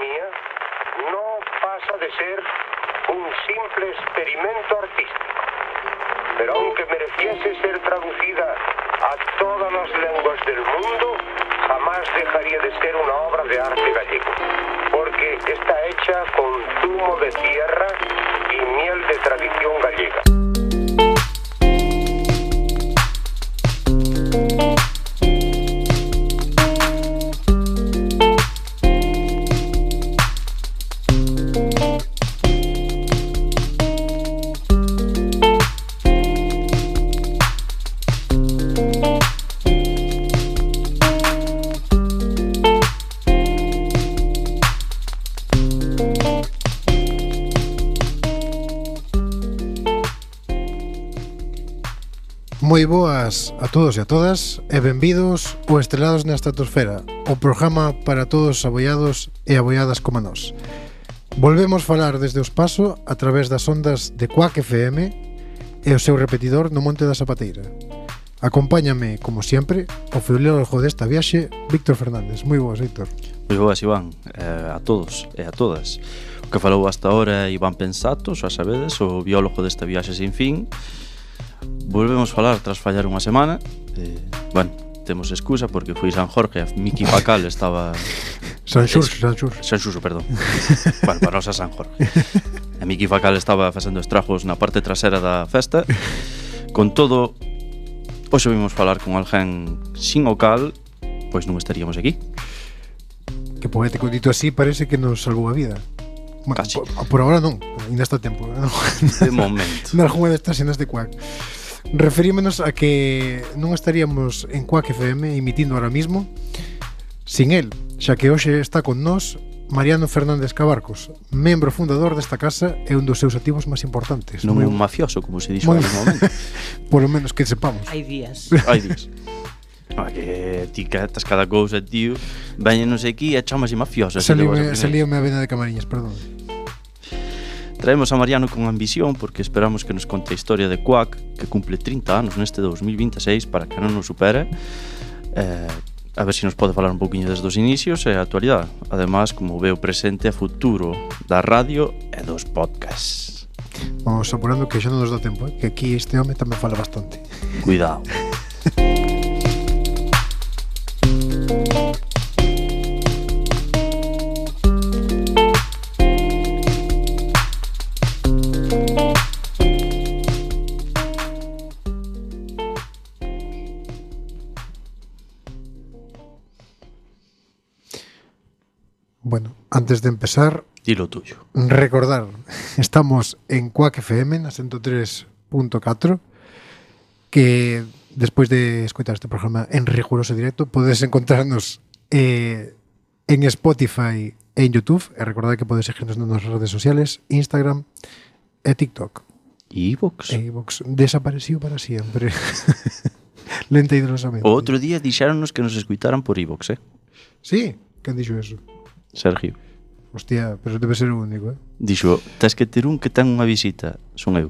mía no pasa de ser un simple experimento artístico. Pero aunque mereciese ser traducida a todas las lenguas del mundo, jamás dejaría de ser una obra de arte gallego, porque está hecha con zumo de tierra y miel de tradición gallega. Moi boas a todos e a todas e benvidos o Estrelados na Estratosfera, o programa para todos os aboiados e aboiadas como nós. Volvemos falar desde o espazo a través das ondas de Quack FM e o seu repetidor no Monte da Zapateira. Acompáñame, como sempre, o filólogo desta viaxe, Víctor Fernández. Moi boas, Víctor. Moi boas, Iván, a todos e a todas. O que falou hasta ahora Iván Pensato, xa sabedes, o biólogo desta viaxe sin fin. Volvemos falar tras fallar unha semana. Bueno, temos excusa porque foi San Jorge, a Miki Pacal estaba... San Xurxo, perdón. Bueno, para nós a San Jorge. A Miki Pacal estaba facendo estragos na parte trasera da festa. Con todo, hoxe vimos falar con alguén sin o cal, pois non estaríamos aquí. Que poético, dito así, parece que nos salvou a vida. Bueno, casi. Por agora non, ainda está tempo, non? De momento. Nalgúna destas cenas de Quack. Referímonos a que non estaríamos en Quack FM emitindo ahora mismo sin el, xa que hoxe está con nós Mariano Fernández Cabarcos, membro fundador desta casa e un dos seus activos máis importantes. Non un mafioso, como se dixo en algún momento. Por lo menos que sepamos. Hai días. Que ti catas cada cousa, tío. Veñenos aquí e chamase mafioso. Salíome a vena de Camariñas, perdón. Traemos a Mariano con ambición porque esperamos que nos conte a historia de Quack, que cumple 30 anos neste 2026, para que non nos supere. A ver se nos pode falar un poquinho desde os inicios e a actualidade. Ademais, como veo presente a futuro da radio e dos podcasts. Vamos apurando que xa non nos dá tempo, que aquí este home tamén fala bastante. Cuidado. Bueno, antes de empezar, dilo tuyo. Recordar, estamos en Quack FM na 103.4, que despois de escoitar este programa en riguroso directo podes encontrarnos en Spotify e en YouTube, e recordad que podes seguirnos nas redes sociales, Instagram e TikTok. E iVox? Desapareciu para siempre. Lenta e dolorosamente. O outro día dixéronnos que nos escuitaran por iVox, Sí? Quen dixo eso? Sergio. Hostia, pero debe ser o único, Dixo, tes que ter un que ten unha visita. Son eu.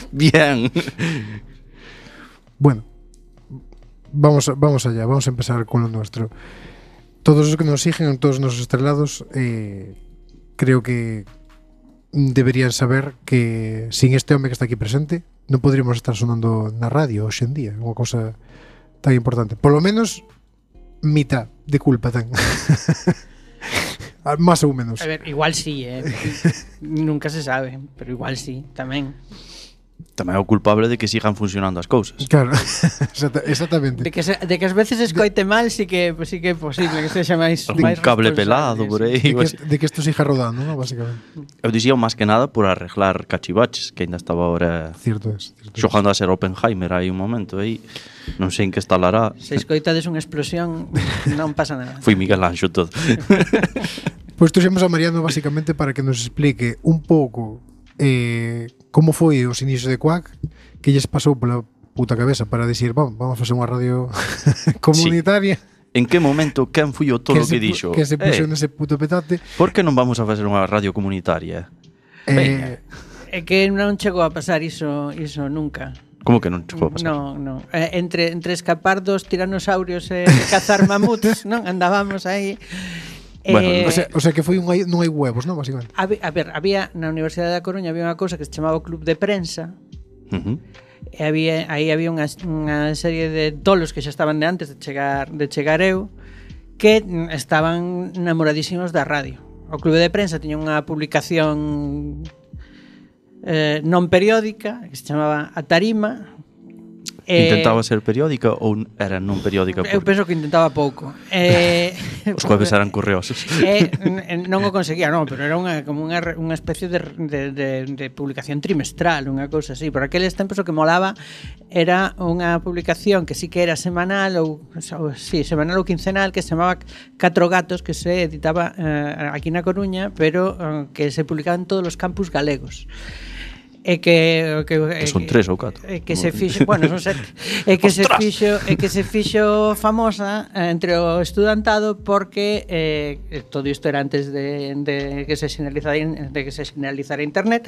Bien. Bueno, vamos allá, vamos a empezar con lo nuestro. Todos os que nos siguen, todos os nosos estrelados, creo que deberían saber que sin este home que está aquí presente non podríamos estar sonando na radio hoxe en día, unha cosa tan importante. Por lo menos mitad de culpa ten. Más ou menos. A ver, igual sí, nunca se sabe, pero igual sí, tamén. Tamén é o culpable de que sigan funcionando as cousas. Claro, exactamente. De que as veces escoite mal, sí que é posible que sexa máis un cable pelado por aí. De que isto siga rodando, ¿no? Básicamente. Eu dixía máis que nada por arreglar cachivaches, que ainda estaba ahora cierto xogando a ser Oppenheimer aí un momento aí. Non sei en que estalará. Se escoitades unha explosión, non pasa nada. Foi Miguel Anxo todo. Pois tuxemos a Mariano basicamente para que nos explique un pouco como foi os inicios de Quack, que lles pasou pola puta cabeza para decir, vamos a facer unha radio comunitaria. Sí. En que momento quen foi o tolo que dixo? Que se puxo nese puto petate. Por que non vamos a facer unha radio comunitaria? É que non chegou a pasar iso nunca. Como que non chegou a pasar? Non. Entre escapar dos tiranosaurios e cazar mamuts, non? Andábamos aí. Bueno, O sea que foi non hai huevos, non? Básicamente. A ver, había na Universidade da Coruña había unha cousa que se chamaba o Club de Prensa. E aí había unha serie de tolos que xa estaban de antes de chegar eu, que estaban namoradísimos da radio. O Club de Prensa tiña unha publicación non periódica que se chamaba A Tarima. Intentaba ser periódica ou era non periódica? Eu penso que intentaba pouco. Os jueves eran correosos. Non o conseguía, non, pero era como unha especie de publicación trimestral, unha cousa así. Por aqueles tempos o que molaba era unha publicación que sí que era semanal semanal ou quincenal, que se chamaba Catro Gatos, que se editaba aquí na Coruña, pero que se publicaba en todos os campus galegos. Que son 3 ou 4. Que se fixo, bueno, son 7. Que se fixo famosa entre o estudantado porque todo isto era antes de que se sinalizara internet,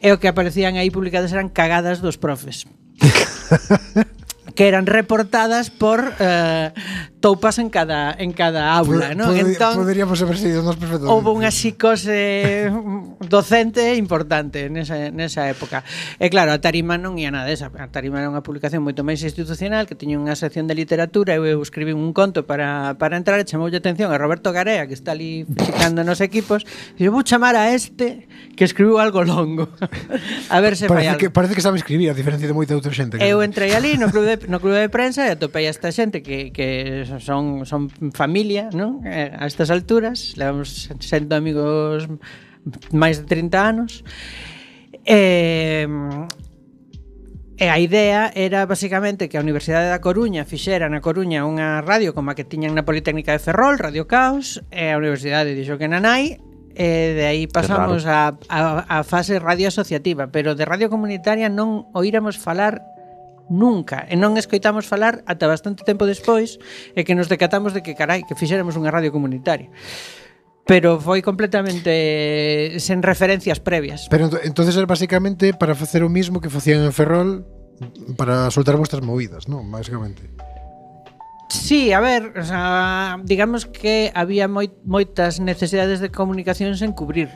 e o que aparecían aí publicadas eran cagadas dos profes. Que eran reportadas por toupas en cada aula, ¿no? Entón, poderíamos haber sido nos perfectamente. Houve unha psicose docente importante nesa época. E claro, a Tarima non ia nada desa. A Tarima era unha publicación moito máis institucional, que tiña unha sección de literatura. Eu escribí un conto para entrar, e chamoulle atención a Roberto Garea, que está ali fixicando nos equipos, e eu vou chamar a este que escribiu algo longo. A ver se fai algo. Parece que sabe escribir, a diferencia de moita outra xente. Eu entrei ali no club de prensa e atopei a esta xente que son familia, non? A estas alturas levamos sendo amigos máis de 30 anos. E a idea era basicamente que a Universidade da Coruña fixera na Coruña unha radio como a que tiñan na Politécnica de Ferrol, Radio Caos, e a Universidade dixo que non hai. E de aí pasamos a fase radio asociativa, pero de radio comunitaria non oíramos falar nunca, e non escoitamos falar ata bastante tempo despois, e que nos decatamos de que que fixéramos unha radio comunitaria. Pero foi completamente sen referencias previas. Pero entonces era basicamente para facer o mismo que facían en Ferrol, para soltar vuestras movidas, non? Básicamente. Sí, a ver, o sea, digamos que había moitas necesidades de comunicación sen cubrir.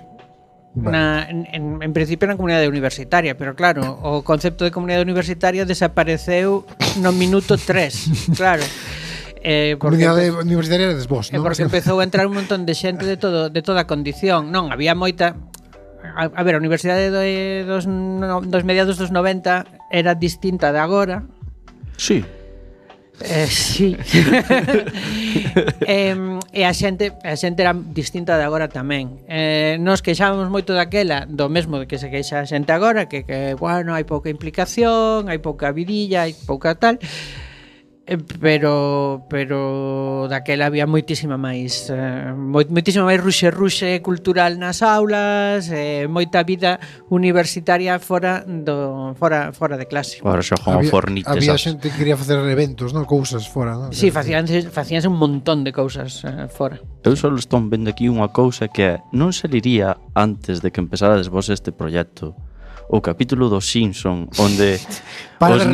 En principio na comunidade universitaria, pero claro, o concepto de comunidade universitaria desapareceu no minuto 3, claro. Comunidade universitaria eres vos, non? Porque empezou a entrar un montón de xente de toda condición. Non, había moita. A ver, a universidade dos mediados dos 90 era distinta de agora. Sí. Sí. E a xente era distinta de agora tamén. Nos queixábamos moito daquela, do mesmo de que se queixa a xente agora, que bueno, hai pouca implicación, hai pouca vidilla, hai pouca tal. Pero daquela había moitísima máis ruxe cultural nas aulas, moita vida universitaria fora de clase. Ahora xa como fornites. Había xente que quería facer eventos, non? Cousas fora, non? Sí, facíanse un montón de cousas fora. Eu só estou vendo aquí unha cousa que non saliría antes de que empezarades vos este proxecto. O capítulo dos Simpson, onde os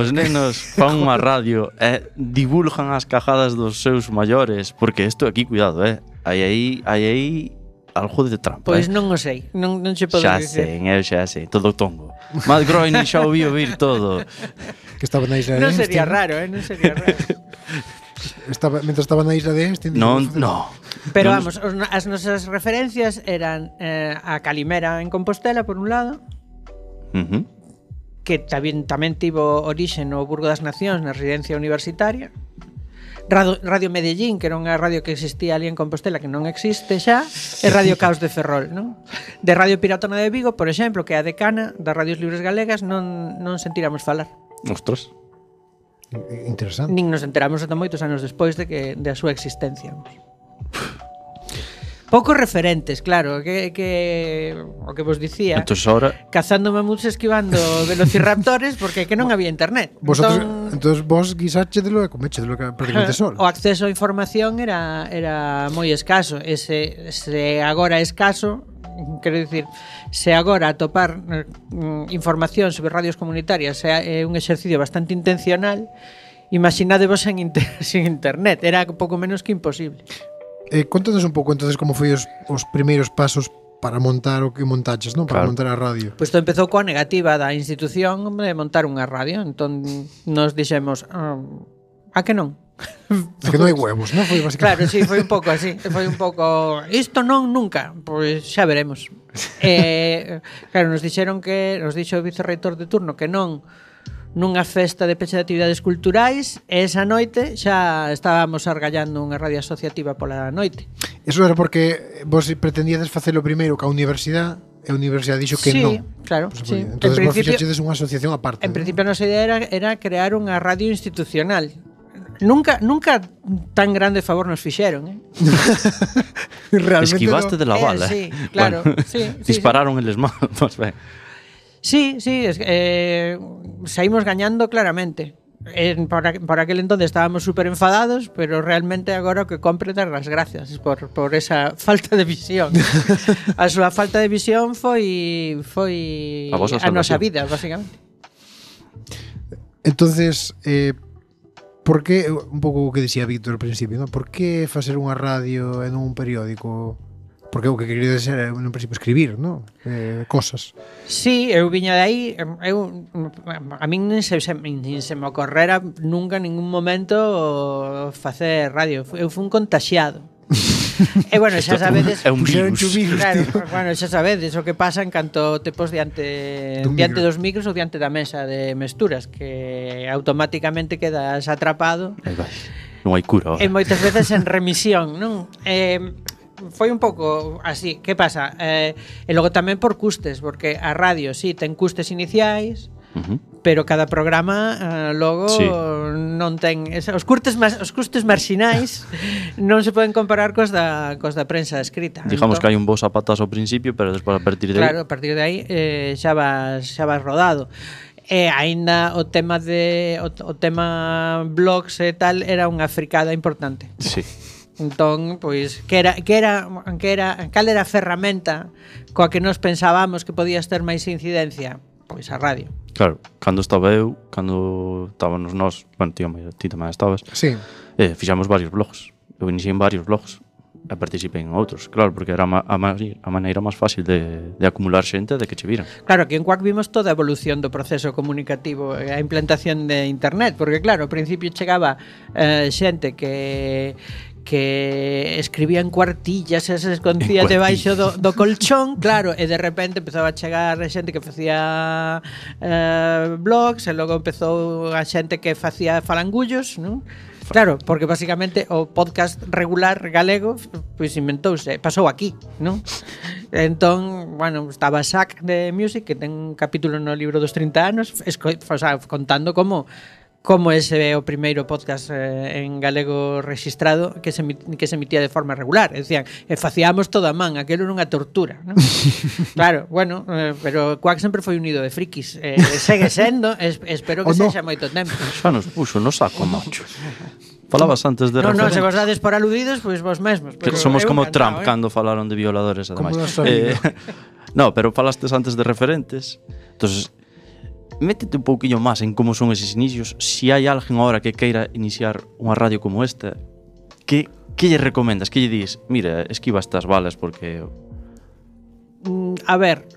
nenos fan unha radio e divulgan as cajadas dos seus maiores, porque isto aquí, cuidado, hai aí algo de trampa. Pois non o sei, non se pode dicir. Xa sei, todo tongo. Matt Groening xa o vi ouvir todo. Que estaba na isla de Non sería raro, non sería raro. Mientras estaba na isla de Einstein. No. Pero vamos, as nosas referencias eran a Calimera en Compostela, por un lado, que tamén tivo orixe no Burgo das Nacións, na residencia universitaria. Radio Medellín, que era unha radio que existía ali en Compostela, que non existe xa, e Radio Caos de Ferrol, non? De Radio Piratona de Vigo, por exemplo, que é a decana das radios libres galegas, non sentiramos falar. Ostras. Interesante. Nin nos enteramos ata moitos anos despois de a súa existencia. Poucos referentes, claro, que o que vos dicía. Entonces ahora cazando mamuts, esquivando velociraptores, porque que non había internet. Entonces vos guisáchedelo e coméchedelo prácticamente sol. O acceso á información era moi escaso. Ese agora escaso quero dicir, se agora atopar información sobre radios comunitarias é un exercicio bastante intencional, imaginadevos sin internet, era pouco menos que imposible. Contanos un pouco entonces como foi os primeiros pasos para montar o que montaches, non? Para montar a radio. Pois todo empezou coa negativa da institución de montar unha radio. Entón nos dixemos, a que non? A que non hai huevos, non? Foi Claro, basicamente. sí, foi un pouco así. Foi un pouco, isto non nunca. Pois xa veremos. Claro, nos dixo o vicerreitor de turno que non nunha festa de peche de actividades culturais, e esa noite xa estábamos argallando unha radio asociativa pola noite. Eso era porque vos pretendíades facelo primeiro ca universidade e a universidade dixo que sí, non. Claro, Pues, sí. Entonces vos fixachedes unha asociación aparte. En principio a nosa idea era crear unha radio institucional. Nunca tan grande favor nos fixeron, Realmente Esquivaste de la bala. Sí, claro, Bueno, sí, dispararon eles mal, más ben. Sí, saímos gañando claramente. Por aquel entonces estábamos súper enfadados, pero realmente agora o que compre dar as gracias por esa falta de visión. A súa falta de visión foi a nosa vida, basicamente. Entonces, por que, un pouco o que dicía Víctor ao principio, ¿no? Por que facer unha radio e non un periódico? Porque o que quería ser no principio escribir, ¿no? Cosas. Sí, eu viña de aí, a min nin se me ocorrera nunca en ningún momento facer radio. Eu fui un contaxiado. E bueno, xa sabedes, é un virus. Claro, bueno, xa sabedes o que pasa en canto te pos diante dos micros ou diante da mesa de mesturas, que automáticamente quedas atrapado. Non hai cura. E moitas veces en remisión, non? Foi un pouco así. Que pasa? E logo tamén por custes, porque a radio sí ten custes iniciais, pero cada programa logo sí. Non ten os custes marxinais non se poden comparar cos da prensa escrita. Digamos que hai un bo zapatazo ao principio, pero despois a partir de aí. Claro, a partir de aí xa vas rodado. E aínda o tema blogs e tal era unha fricada importante. Sí. Entón, pois, cal era a ferramenta coa que nos pensábamos que podías ter máis incidencia? Pois a radio. Claro, cando estábamos nós, bueno, ti tamén estabas. Sí. Fixamos varios blogs. Eu iniciei en varios blogs e participei en outros, claro, porque era a maneira máis fácil de acumular xente de que che viran. Claro, aquí en Quack vimos toda a evolución do proceso comunicativo, a implantación de internet, porque claro, ao principio chegaba xente que escribía en cuartillas e se escondía debaixo do colchón, claro, e de repente empezaba a chegar a xente que facía blogs, e logo empezou a xente que facía falangullos, non? Claro, porque basicamente o podcast regular galego pois inventouse, pasou aquí, non? Entón, bueno, estaba Sac de Music, que ten un capítulo no libro dos 30 anos, contando como ese é o primeiro podcast en galego registrado que se emitía de forma regular. Decían, facíamos todo a man, aquilo era unha tortura, non? Claro, bueno, pero Quack sempre foi unido de frikis, segue sendo, espero que sexa moito tempo. Xa nos puxo no saco, macho. Falabas antes de referentes. Non, se vos dades por aludidos, pois vos mesmos. Somos como Trump cando falaron de violadores, ademais. No, pero falastes antes de referentes. Entonces, métete un pouquiño máis en como son eses inicios. Si hai alguén agora que queira iniciar unha radio como esta, que lle recomendas? Que lle dis? Mira, esquiva estas balas porque... A ver,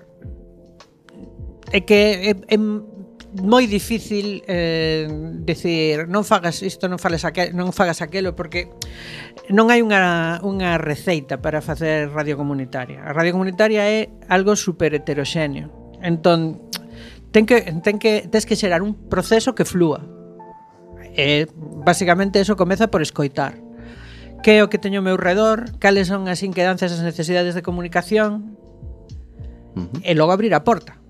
é que é moi difícil decir non fagas isto, non fagas aquelo, porque non hai unha receita para facer radio comunitaria. A radio comunitaria é algo super heteroxéneo. Entón, tes que xerar un proceso que flúa. Basicamente eso comeza por escoitar. Que é o que teño ao meu redor, cales son as inquedanzas, as necesidades de comunicación, e logo abrir a porta.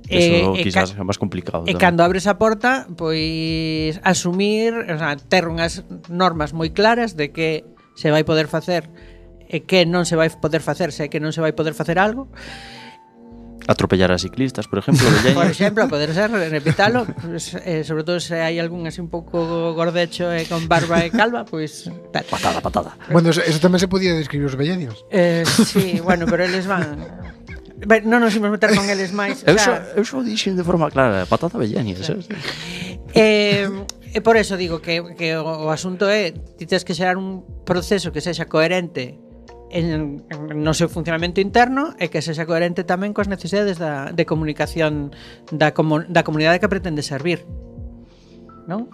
Eso quizás é máis complicado. E cando abres a porta, pois asumir, ter unhas normas moi claras de que se vai poder facer e que non se vai poder facer, se que non se vai poder facer algo. Atropellar a ciclistas, por exemplo, Por exemplo, a poder ser, repítalo, pues, sobre todo se hai algún así un pouco gordecho e con barba e calva, pois patada. Bueno, eso tamén se podía describir os vellenios. Sí, bueno, pero eles van. Non nos imos meter con eles máis. Eu só dixen de forma clara, patada vellenia, sabes? E por eso digo que o asunto é ti tes que xerar un proceso que sexa coherente no seu funcionamento interno e que sexa coherente tamén coas necesidades de comunicación da comunidade que pretende servir, non?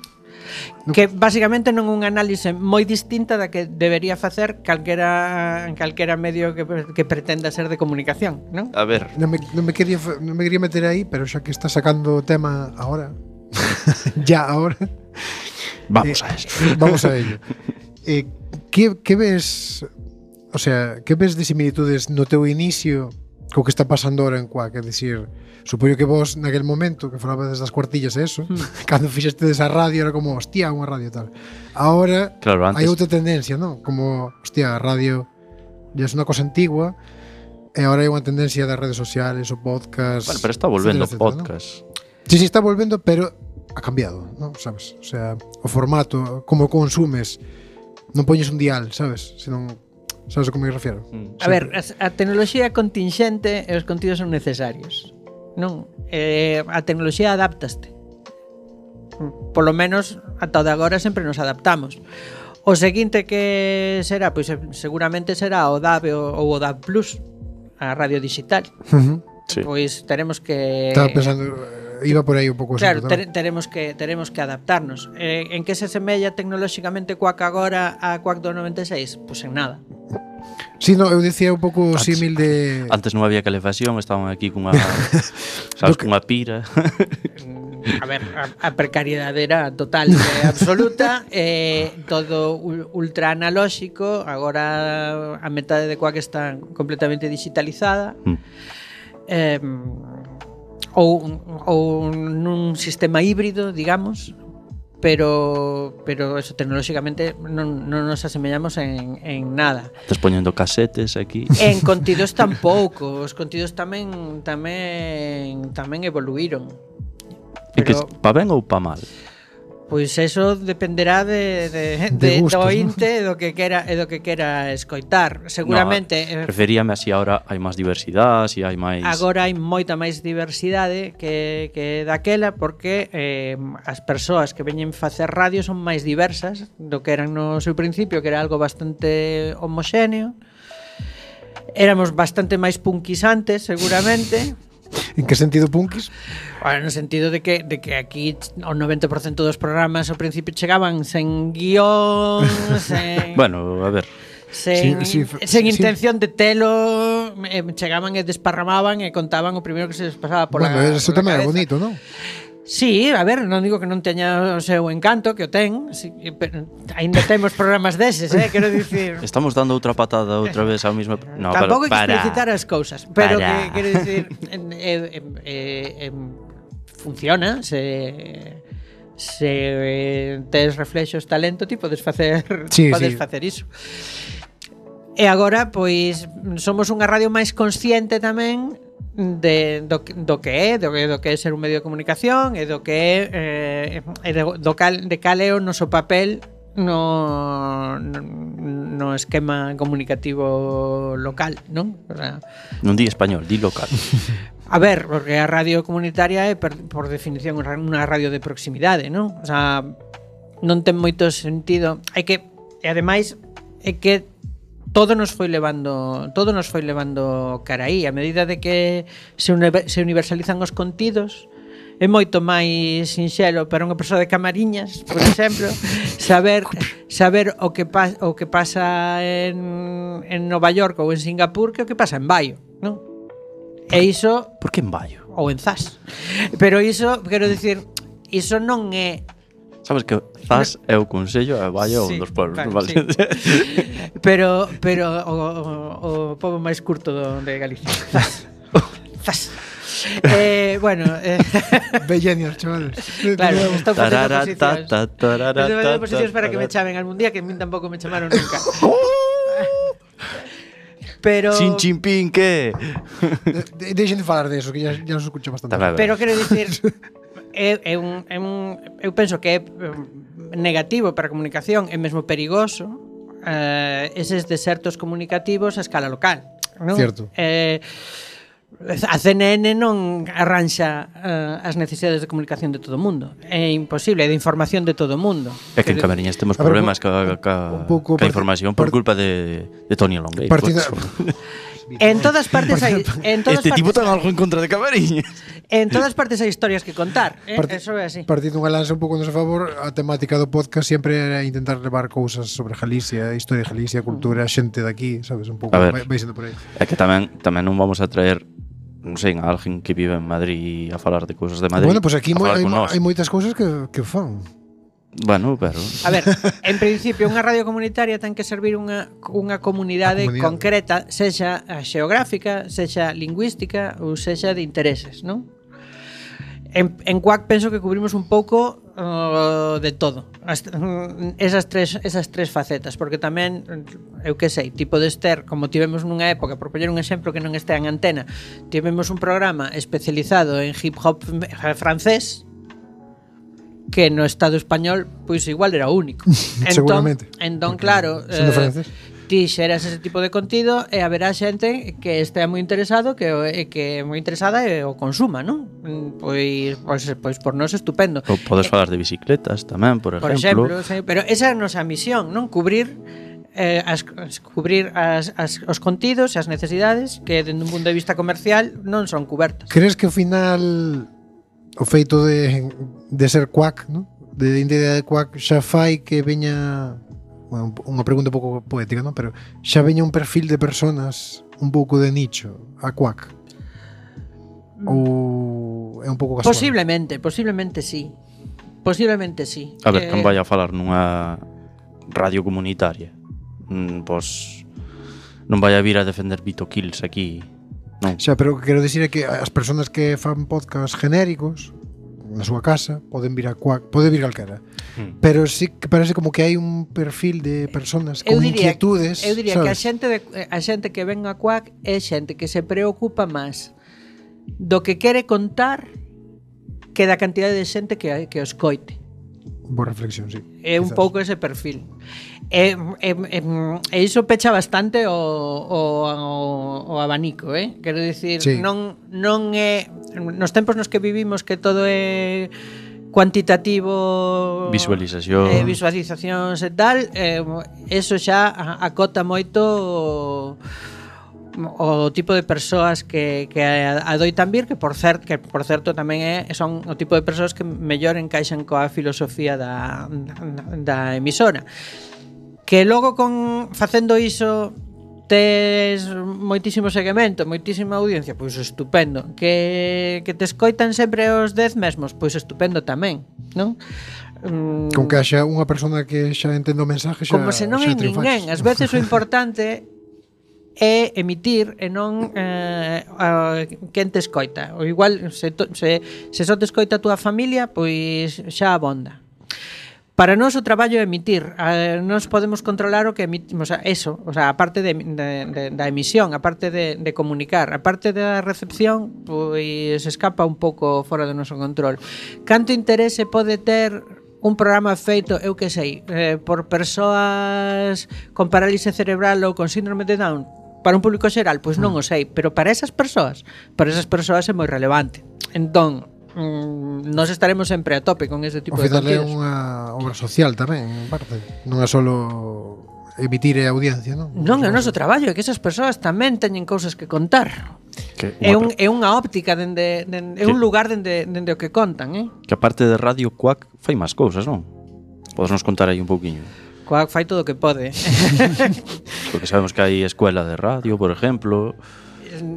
Que basicamente non é unha análise moi distinta da que debería facer calquera medio que pretenda ser de comunicación, non? A ver, Non me quería meter aí, pero xa que está sacando o tema ahora, ahora, vamos a eso. Vamos a ello. Que ves, o sea, que ves de similitudes no teu inicio co que está pasando ahora en Quack? É dicir, supoño que vos naquel momento que falabades das cuartillas e eso, cando fixeste desa radio era como, hostia, unha radio e tal. Ahora Claro, antes hai outra tendencia, ¿no? Como, hostia, a radio ya es unha cosa antigua e agora hai unha tendencia das redes sociales, o podcast. Bueno, pero está volvendo etcétera, podcast. ¿no? Sí, está volvendo, pero ha cambiado, ¿no? Sabes? O sea, o formato, como consumes, non poñes un dial, sabes? Senón, sabes a como me refiero? A ver, a tecnoloxía é contingente e os contidos son necesarios, non? A tecnoloxía adáptaste. Polo menos ata o de agora sempre nos adaptamos. O seguinte que será, pois seguramente será o DAB ou o DAB Plus, a radio digital. Sí. Pois teremos que Estaba pensando, iba por aí un pouco. Claro, teremos que adaptarnos. En que se semella tecnolóxicamente Quack agora a Quack do 96? Pois en nada. Sí, no, eu dicía un pouco símil de... Antes non había calefacción, estaban aquí cunha sabes, cunha pira. A ver, a precariedade era total e absoluta, todo ultra analóxico. Agora a metade de Quack está completamente digitalizada. Ou nun sistema híbrido, digamos, pero eso tecnolóxicamente non nos asemellamos en nada. Estás poñendo casetes aquí. En contidos tampouco, os contidos tamén evoluíron. E que pa ben ou pa mal? Pois eso dependerá de gustos, do ointe e do que quera escoitar. Seguramente referíame así ahora hai máis diversidade, si hai máis. Agora hai moita máis diversidade que daquela, porque as persoas que veñen facer radio son máis diversas do que eran no seu principio, que era algo bastante homoxéneo. Éramos bastante máis punkis antes, seguramente. En que sentido punkis? Bueno, no sentido de que aquí o 90% dos programas ao principio chegaban sen guión, sen... Bueno, a ver. Sen intención de telo, chegaban e desparramaban e contaban o primeiro que se les pasaba por bueno, eso tamén é bonito, non? Sí, a ver, non digo que non teña o seu encanto, que o ten, sí, pero ainda temos programas deses, quero dicir. Estamos dando outra patada outra vez ao mesmo. No, tampouco hai que explicitar as cousas, pero que quero dicir, funciona, se tes reflexos, talento, ti podes facer facer iso. E agora, pois, somos unha radio máis consciente tamén do que é ser un medio de comunicación e do que é de cal é o noso papel no esquema comunicativo local, non? O sea, non di español, di local. A ver, porque a radio comunitaria é por definición unha radio de proximidade, non? O sea, non ten moito sentido. E ademais é que todo nos foi levando cara aí. A medida de que se universalizan os contidos, é moito máis sinxelo para unha persoa de Camariñas, por exemplo, saber o que pasa en Nova York ou en Singapur que o que pasa en Baio, non? E iso... Por que en Baio? Ou en Zas. Pero iso, quero dicir, iso non é... Sabes que Zas é o Consello e Baio sí, un dos pueblos, claro, vale? Sí. Pero o pobo máis curto de Galicia. Zas. Bueno, Bellenios, chavales. Claro, estou facendo posicións. Estou facendo posicións para que me chamen algún día, que a min tampouco me chamaron nunca. Pero Sin chimpín, que? Deixen de falar de eso, que ya nos escucha bastante. Pero quero dicir eu penso que é negativo para a comunicación e mesmo perigoso eses desertos comunicativos a escala local, non? Cierto. A CNN non arranxa as necesidades de comunicación de todo o mundo. É imposible, de información de todo o mundo. É que en Camariñas temos A ver, problemas un pouco ca información por culpa de Tony Longueira. En todas partes hai Este tipo ten algo en contra de Camariñas. En todas partes hai historias que contar, eso é así. Partindo unha lanza un pouco a noso favor, a temática do podcast sempre era intentar levar cousas sobre Galicia, historia de Galicia, cultura, xente daqui, sabes, un pouco, vai sendo por aí. É que tamén non vamos a traer, non sei, a alguén que vive en Madrid a falar de cousas de Madrid. Bueno, pues aquí hai moitas cousas que fan. Bueno, pero... A ver, en principio unha radio comunitaria ten que servir unha comunidade concreta, sexa xeográfica, sexa lingüística ou sexa de intereses, non? En Quack penso que cubrimos un pouco de todo. Esas tres facetas, porque tamén, eu que sei, tipo de Ester, como tivemos nunha época, por poñer un exemplo que non estea en antena, tivemos un programa especializado en hip hop francés, que no Estado español pois igual era único. Seguramente. Entón claro, ti xeras ese tipo de contido e haberá xente que estea moi interesado, que moi interesada e o consuma, non? Pois por nós estupendo. Podes falar de bicicletas tamén, por exemplo. Sí, pero esa é a nosa misión, non? Cubrir os contidos e as necesidades que dende un punto de vista comercial non son cubertas. Crees que ao final o feito de ser Quack, ¿no? De identidade de Quack xa fai que veña, bueno, unha pregunta un pouco poética, ¿no? Pero xa veña un perfil de personas un pouco de nicho a Quack? Ou é un pouco casual? Posiblemente sí. A ver, non vai a falar nunha radio comunitaria. Pois non vai a vir a defender Vito Kills aquí. Non. Xa, pero o que quero dicir é que as persoas que fan podcast genéricos na súa casa poden vir a Quack, pode vir calquera. Pero sí que parece como que hai un perfil de persoas con inquietudes. Eu diría que a xente que ven a Quack é xente que se preocupa máis do que quere contar que da cantidade de xente que os coite. Boa reflexión, sí. É un pouco ese perfil. E iso pecha bastante o abanico, quero dicir, sí. non é nos tempos nos que vivimos que todo é cuantitativo, visualizacións e tal, eso xa acota moito o tipo de persoas que adoitan vir, que por certo tamén son o tipo de persoas que mellor encaixan coa filosofía da emisora, que logo facendo iso tes moitísimo seguimento, moitísima audiencia, pois estupendo. Que te escoitan sempre os 10 mesmos, pois estupendo tamén, non? Con que haxa unha persona que xa entende o mensaje, xa como se non hai ninguén. Ás veces o importante é emitir e non quen te escoita. O igual, se só te escoita a túa familia, pois xa abonda. Para nós o traballo é emitir. Nós podemos controlar o que emitimos, eso, o sea, a parte da emisión, a parte de comunicar, a parte da recepción, pois escapa un pouco fora do noso control. Canto interese pode ter un programa feito, eu que sei, por persoas con parálise cerebral ou con síndrome de Down, para un público xeral, pois non o sei, pero para esas persoas é moi relevante. Entón, nós estaremos sempre a tope con ese tipo de contidos. O final é unha obra social tamén, en parte. Non é solo emitir a audiencia, non? Non, é o noso traballo, é que esas persoas tamén teñen cousas que contar. É unha óptica, é un lugar dende o que contan, Que a parte de Radio Quack fai máis cousas, non? Podes nos contar aí un pouquiño? Quack fai todo o que pode. Porque sabemos que hai escuela de radio, por exemplo.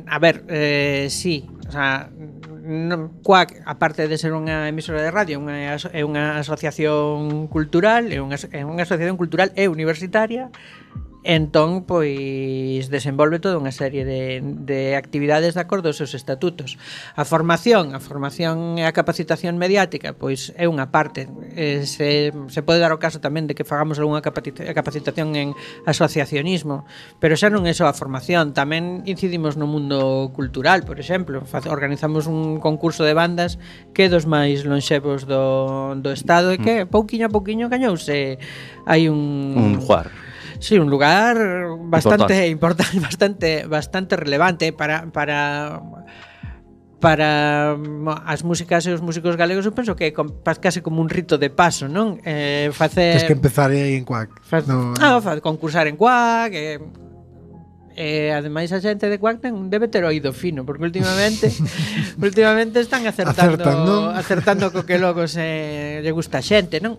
A ver, sí, o sea, Quack, aparte de ser unha emisora de radio, é unha asociación cultural, é unha asociación cultural e universitaria, Entón, pois, desenvolve toda unha serie de actividades de acordo aos seus estatutos. A formación e a capacitación mediática, pois, é unha parte. Se pode dar o caso tamén de que fagamos algunha capacitación en asociacionismo, pero xa non é só a formación, tamén incidimos no mundo cultural, por exemplo. Organizamos un concurso de bandas que é dos máis lonxevos do Estado e que, pouquiño a pouquiño, gañouse. Hai un juar. Sí, un lugar bastante importante, bastante relevante para as músicas e os músicos galegos. Eu penso que é case como un rito de paso, non? Tens que empezar aí en Cuac. Concursar en Cuac, ademais a xente de Cuac debe ter oído fino, porque últimamente están acertando co que logo lle gusta a xente, non?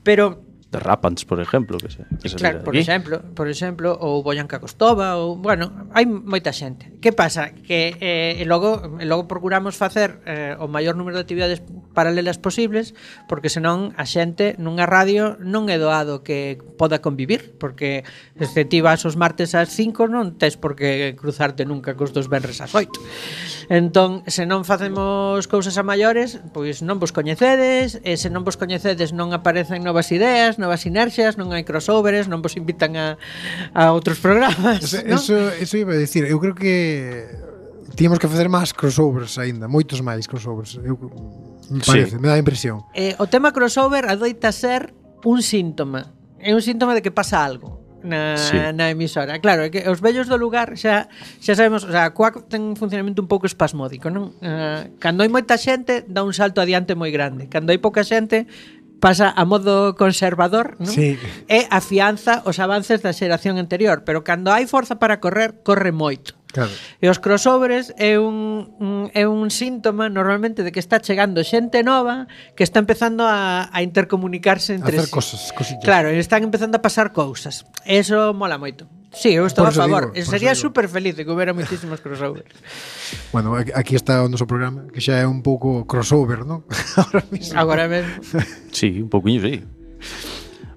Pero de Rapants, por exemplo, que claro, por exemplo, ou Boyanca Costova, ou, bueno, hai moita xente. Que pasa? Que logo procuramos facer o maior número de actividades paralelas posibles, porque senón a xente nunha radio non é doado que poda convivir, porque se ti vas os martes ás 5 non tes por que cruzarte nunca cos dos venres ás 8. Entón, se non facemos cousas a maiores, pois non vos coñecedes, e se non vos coñecedes non aparecen novas ideas, novas sinerxias, non hai crossovers, non vos invitan a outros programas, ¿no? Eso iba a decir, eu creo que tíamos que facer máis crossovers aínda, moitos máis crossovers. Me parece, me dá a impresión. O tema crossover adoita ser un síntoma. É un síntoma de que pasa algo na emisora. Claro, é que os vellos do lugar xa sabemos, o sea, Cuac ten un funcionamento un pouco espasmódico, non? Cando hai moita xente, dá un salto adiante moi grande. Cando hai pouca xente, pasa a modo conservador, non? Sí. E afianza os avances da xeración anterior, pero cando hai forza para correr, corre moito. Claro. E os crossovers é un síntoma normalmente de que está chegando xente nova que está empezando a intercomunicarse entre hacer cosillas. Claro, están empezando a pasar cousas. Eso mola moito. Sí, eu estou a favor. Sería super feliz de que houbera moitísimos crossovers. Bueno, aquí está o noso programa, que xa é un pouco crossover, non? Agora mesmo. Sí, un pouquiño, sí.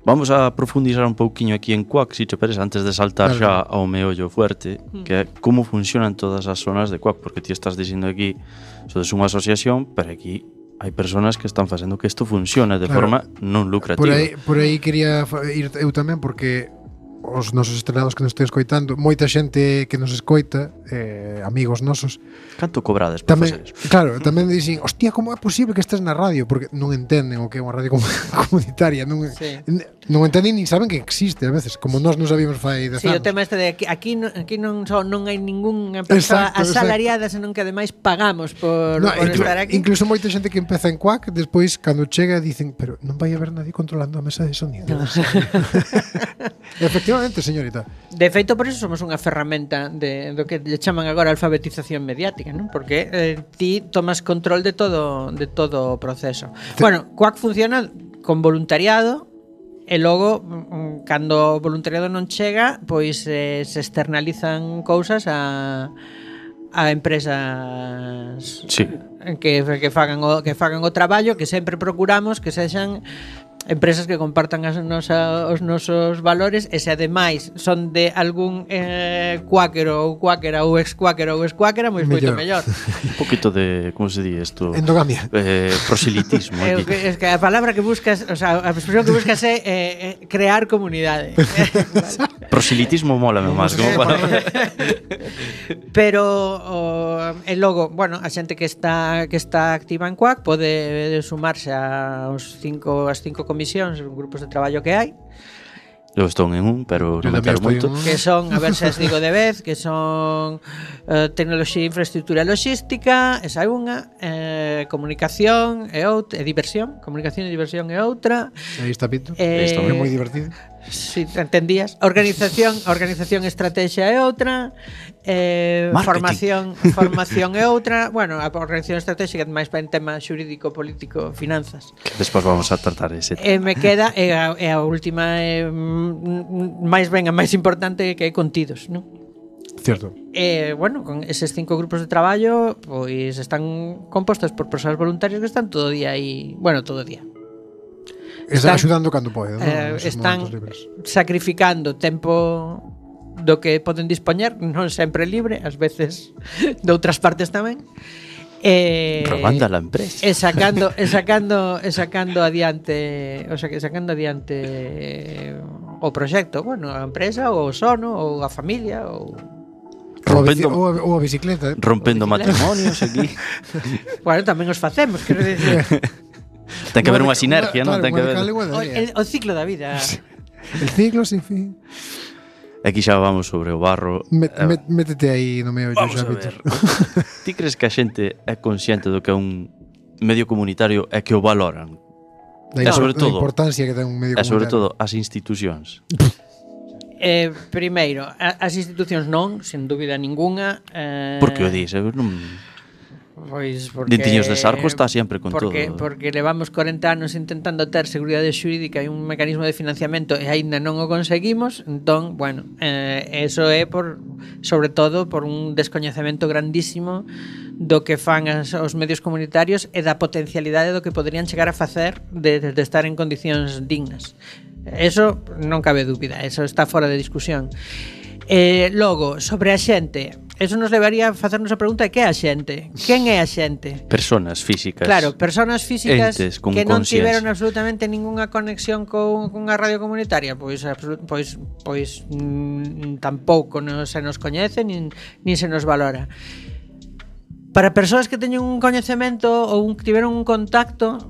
Vamos a profundizar un pouquiño aquí en Cuac, si te parece, antes de saltar xa ao meollo fuerte, que é como funcionan todas as zonas de Cuac, porque ti estás dicindo aquí, sodes unha asociación, pero aquí hai persoas que están facendo que isto funcione de forma non lucrativa. Por aí quería ir eu tamén, porque os nosos estrenados que nos estén escoitando, moita xente que nos escoita, amigos nosos. Canto cobrades por facer eso? Claro, tamén dicen, hostia, como é posible que estés na radio? Porque non entenden o que é unha radio comunitaria, non entenden nin saben que existe a veces, como nós non sabíamos fai 10 anos. Sí, o tema este de aquí non hai ningunha persoa asalariada, senón que ademais pagamos por estar aquí. Incluso moita xente que empeza en Cuac, despois cando chega dicen, pero non vai haber nadie controlando a mesa de sonido. Efectivamente, señorita. De feito, por iso somos unha ferramenta do que lle chaman agora alfabetización mediática, non? Porque ti tomas control de todo o proceso. Bueno, Cuac funciona con voluntariado e logo, cando o voluntariado non chega, pois se externalizan cousas a empresas que fagan o traballo, que sempre procuramos que sexan empresas que compartan os nosos valores, e se ademais son de algún cuáquero ou cuáquera ou ex-cuáquera ou ex-cuáquera, moito mellor. Un poquito de, como se di isto? Endogamia. Proselitismo. Es que a palabra que buscas, o sea, a expresión que buscas é crear comunidade. Proselitismo mólame máis como palabra. Pero e logo, bueno, a xente que está activa en Cuac pode sumarse as 5 comisións, grupos de traballo que hai. Eu estou en un, pero non me entero moito. Que son, a ver se as digo de vez, que son tecnoloxía, infraestructura e logística, esa é unha, comunicación e outra, e diversión, comunicación e diversión é outra. Aí está Pito, é moi divertido. Si, entendías. Organización e estrategia é outra. Formación é outra. Bueno, a organización estratégica máis para en tema xurídico, político, finanzas. Que despois vamos a tratar ese tema. Me queda a última máis ben a máis importante, que é contidos, non? Certo. Bueno, con eses 5 grupos de traballo, pois están compostos por persoas voluntarias que están todo o día aí, bueno, todo o día. Están axudando cando pode, están sacrificando tempo do que poden dispoñer, non sempre libre, ás veces de outras partes tamén. Robando a la empresa. E sacando adiante, o sea, que sacando adiante o proxecto, bueno, a empresa ou o sono ou a familia ou Ou a bicicleta. Rompendo matrimonios aquí. bueno, tamén os facemos, quero dicir. Ten que haber unha sinergia, non? Ten que haber. O ciclo da vida. El ciclo sin fin. Aquí xa vamos sobre o barro. Métete aí no medio. Vamos a ver. Ti crees que a xente é consciente do que é un medio comunitario e que o valoran? Da importancia que ten un medio comunitario. E sobre todo as institucións. Primeiro, as institucións non, sen dúbida ninguna. Por que o dis? Non... Pois porque Dintiños de Sarco está sempre con todo. Porque levamos 40 anos intentando ter seguridade xurídica e un mecanismo de financiamento e aínda non o conseguimos. Entón, bueno, eso é sobre todo por un descoñecemento grandísimo do que fan os medios comunitarios e da potencialidade do que poderían chegar a facer de estar en condicións dignas. Eso non cabe dúbida, eso está fora de discusión. Logo, sobre a xente, eso nos levaría a facernos a pregunta de que é a xente. Quen é a xente? Personas físicas. Claro, personas físicas que non tiveron conciencia. absolutamente ninguna conexión cunha radio comunitaria. Pois tampouco se nos coñece nin se nos valora. Para persoas que teñen un coñecemento ou que tiveron un contacto,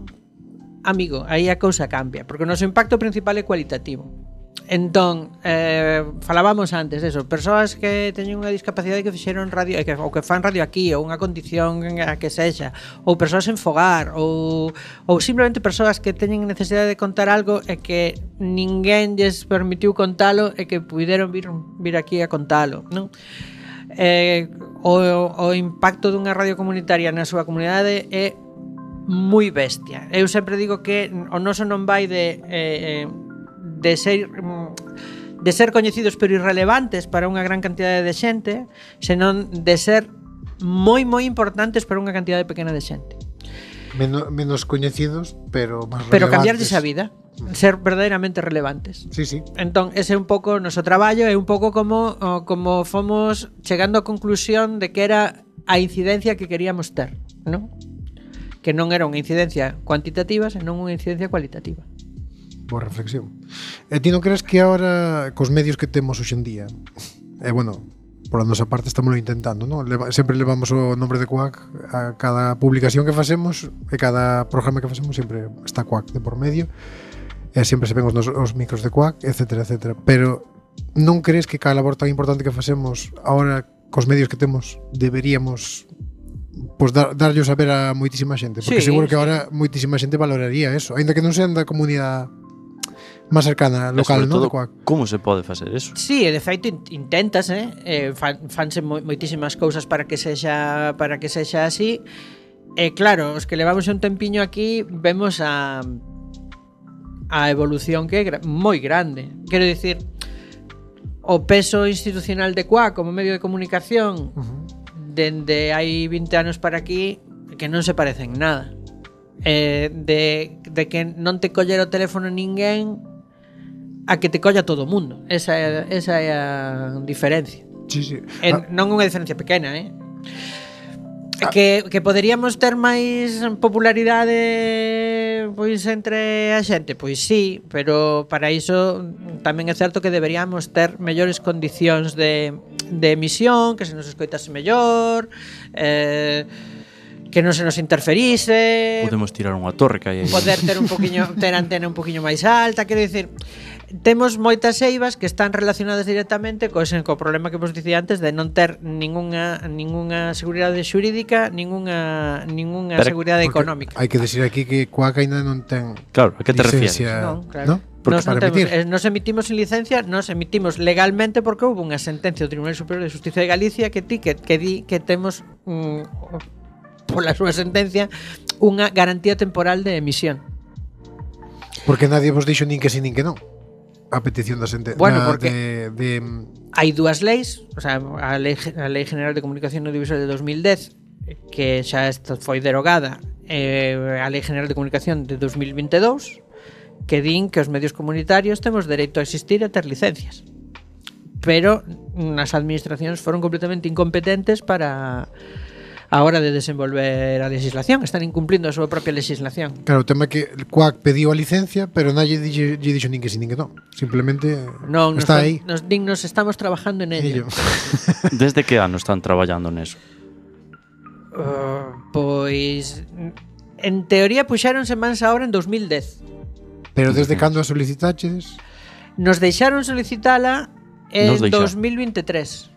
amigo, aí a cousa cambia, porque o noso impacto principal é cualitativo. Entón, falábamos antes eso, persoas que teñen unha discapacidade que fixeron radio ou que fan radio aquí, ou unha condición a que sexa, ou persoas en fogar, ou simplemente persoas que teñen necesidade de contar algo e que ninguén lles permitiu contalo e que puideron vir aquí a contalo, non? O impacto dunha radio comunitaria na súa comunidade é moi bestia. Eu sempre digo que o noso non vai de ser coñecidos pero irrelevantes para unha gran cantidade de xente, senón de ser moi importantes para unha cantidade pequena de xente. Menos coñecidos, pero máis relevantes. Pero cambiarlles a vida, ser verdadeiramente relevantes. Sí. Entón, ese é un pouco o noso traballo, é un pouco como fomos chegando á conclusión de que era a incidencia que queríamos ter, non? Que non era unha incidencia cuantitativa, senón unha incidencia cualitativa. Boa reflexión. E ti non crees que ahora cos medios que temos hoxe en día, bueno, por a nosa parte estamos intentando, non? Sempre levamos o nombre de Quack a cada publicación que facemos e cada programa que facemos sempre está Quack de por medio e sempre se ven os micros de Quack, etcétera. Pero non crees que cada labor tan importante que facemos ahora cos medios que temos deberíamos darllos a ver a moitísima xente? Porque seguro que ahora moitísima xente valoraría eso, aínda que non sean da comunidade máis cercana, local, non? Como se pode facer eso? Sí, de feito intentase, fanse moitísimas cousas para que sexa así. E claro, os que levamos un tempiño aquí vemos a evolución que é moi grande. Quero dicir, o peso institucional de Quack como medio de comunicación dende hai 20 anos para aquí que non se parece en nada. De que non te collera o teléfono ninguén a que te colla todo o mundo. Esa é a diferencia. Sí. Non unha diferencia pequena, Que poderíamos ter máis popularidade pois entre a xente, pois sí, pero para iso tamén é certo que deberíamos ter mellores condicións de emisión, que se nos escoitase mellor, que non se nos interferise. Podemos tirar unha torre que hai aí. Poder ter antena un poquinho máis alta, quero dicir, temos moitas eivas que están relacionadas directamente co problema que vos dicía antes de non ter ningunha seguridade xurídica, ningunha seguridade económica. Hai que decir aquí que Quack ainda non ten. Claro, a que te refieres? Non, claro. ¿No? Nos emitimos sin licencia, nos emitimos legalmente porque houve unha sentencia do Tribunal Superior de Justicia de Galicia que di que temos pola súa sentencia unha garantía temporal de emisión. Porque nadie vos dixo nin que sí nin que non. A petición da sentencia. Bueno, porque hai dúas leis, o sea, a Lei General de Comunicación Audiovisual de 2010 que xa foi derogada, a Lei General de Comunicación de 2022 que din que os medios comunitarios temos dereito a existir e a ter licencias. Pero as administracións foron completamente incompetentes para a hora de desenvolver a legislación, están incumplindo a súa propia legislación. Claro, o tema é que el CUAC pediu a licencia, pero nadie lle dixo nin que sí nin que non. Simplemente Non, está aí. nos estamos trabajando en ello. Desde que ano están traballando neso? Pois en teoría puxéronse mans a obra en 2010. Pero desde cando a solicitaches? Nos deixaron solicitala en Nos deixaron. 2023.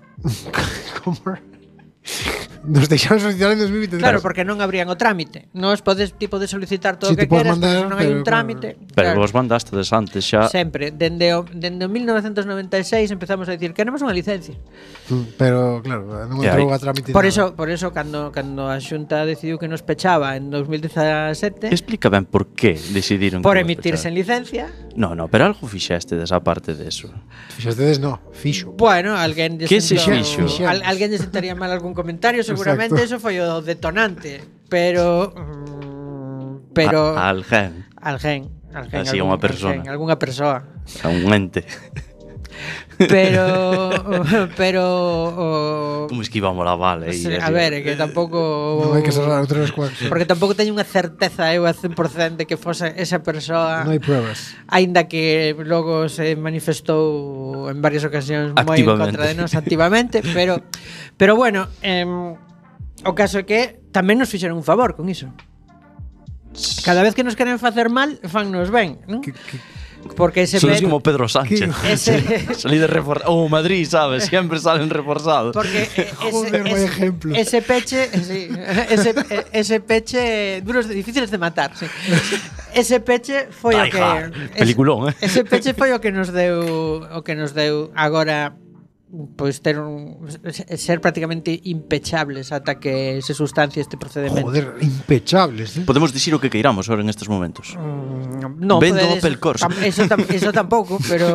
Como? Nos deixaron solicitar en 2023. Claro, porque non abrían o trámite. Nos podes tipo de solicitar todo o Sí, que te podes queras, mandar, pero non hai un pero, trámite. Pero Claro. vos mandastedes antes xa. Sempre, dende o 1996 empezamos a dicir queremos unha licencia. Pero claro, non E entrou aí? a trámite. Por nada. eso cando a Xunta decidiu que nos pechaba en 2017 Explica ben por que decidiron por que vos emitirse en pecharan. licencia. No, pero algo fixeste desa parte deso. Fixastedes no, fixo. Bueno, alguén Que se sentou- fixo? alguén lle sentaría mal algún comentario, seguramente Exacto. eso foi o detonante, pero Alguén, alguén Así, unha persona. algunha persoa. a un ente. Pero Como esquivamos la bala aí. a ver, é que tampouco Non hai que cerrar outra vez CUAC. porque tampouco teño unha certeza eu a 100% de que fose esa persoa. Non hai pruebas. Aínda que logo se manifestou en varias ocasións moi en Activamente. contra de nós activamente, pero bueno, o caso é que tamén nos fixeron un favor con iso. Cada vez que nos queren facer mal, fannos ben, non? Porque ese Son como Pedro Sánchez. ese Salí de reforzado. Oh, Madrid, sabes, siempre salen reforzados. porque Joder, vaya ejemplo. ese peche, sí, ese peche duros difíciles de matar, sí. Ese peche foi o Die que Hard. Peliculón, eh? Ese peche foi o que nos deu agora pois ter ser prácticamente impechables ata que se sustancie este procedemento. Joder, impechables, eh? Podemos dicir o que queiramos ahora en estes momentos. No, Vendo podedes- Opel Corsa. Eso tampouco, pero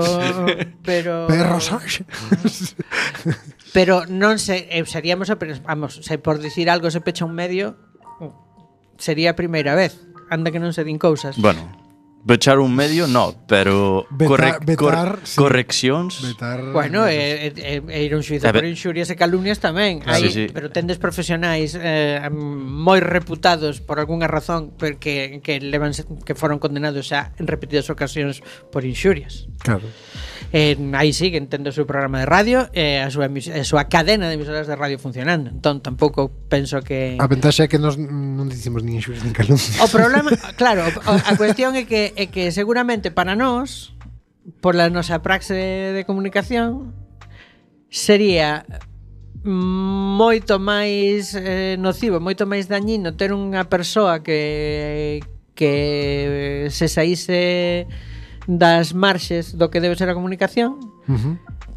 Perro Sánchez. pero non se seríamos vamos, se por dicir algo se pecha un medio sería a primeira vez. Anda que non se din cousas. Bueno, pechar un medio, no, pero Vetar, sí. correccións. Vetar. Bueno, ir a un xuizo A ver. por inxurias e calumnias tamén. Claro. Aí, Sí, sí. pero tendes profesionais moi reputados por algunha razón porque que foron condenados xa en repetidas ocasións por inxurias. Claro. Aí sí que entendo o seu programa de radio e a súa cadena de emisoras de radio funcionando. Entón tampouco penso que A ventaxa é que nos non dicimos nin inxurias nin calumnias. o problema, claro, a cuestión é que seguramente para nós, por la nosa praxe de comunicación, sería moito máis nocivo, moito máis dañino ter unha persoa que se saíse das marxes do que debe ser a comunicación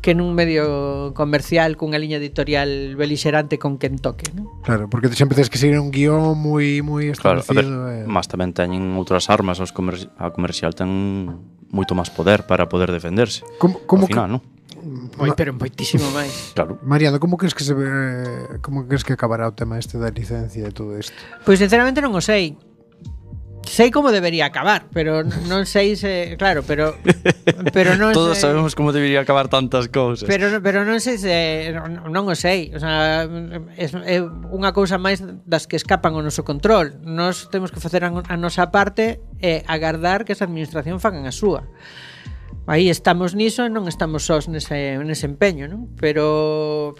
que nun medio comercial cunha liña editorial belixerante con quen toque, non? Claro, porque sempre tens que seguir un guión moi Claro, a ver, establecido. más tamén teñen outras armas, a comercial ten moito máis poder para poder defenderse. Como Ao final, non? Pero moitísimo máis. Claro. Mariano, como crees que como crees que acabará o tema este da licencia e todo isto? Pois sinceramente non o sei. Sei como debería acabar, pero non sei se, claro, pero non Todos sei, sabemos como debería acabar tantas cousas. pero non sei se non o sei, o sea, é unha cousa máis das que escapan ao noso control. Nós temos que facer a nosa parte e agardar que esa administración fagan a súa. Aí estamos niso e non estamos sós nese empeño, non? Pero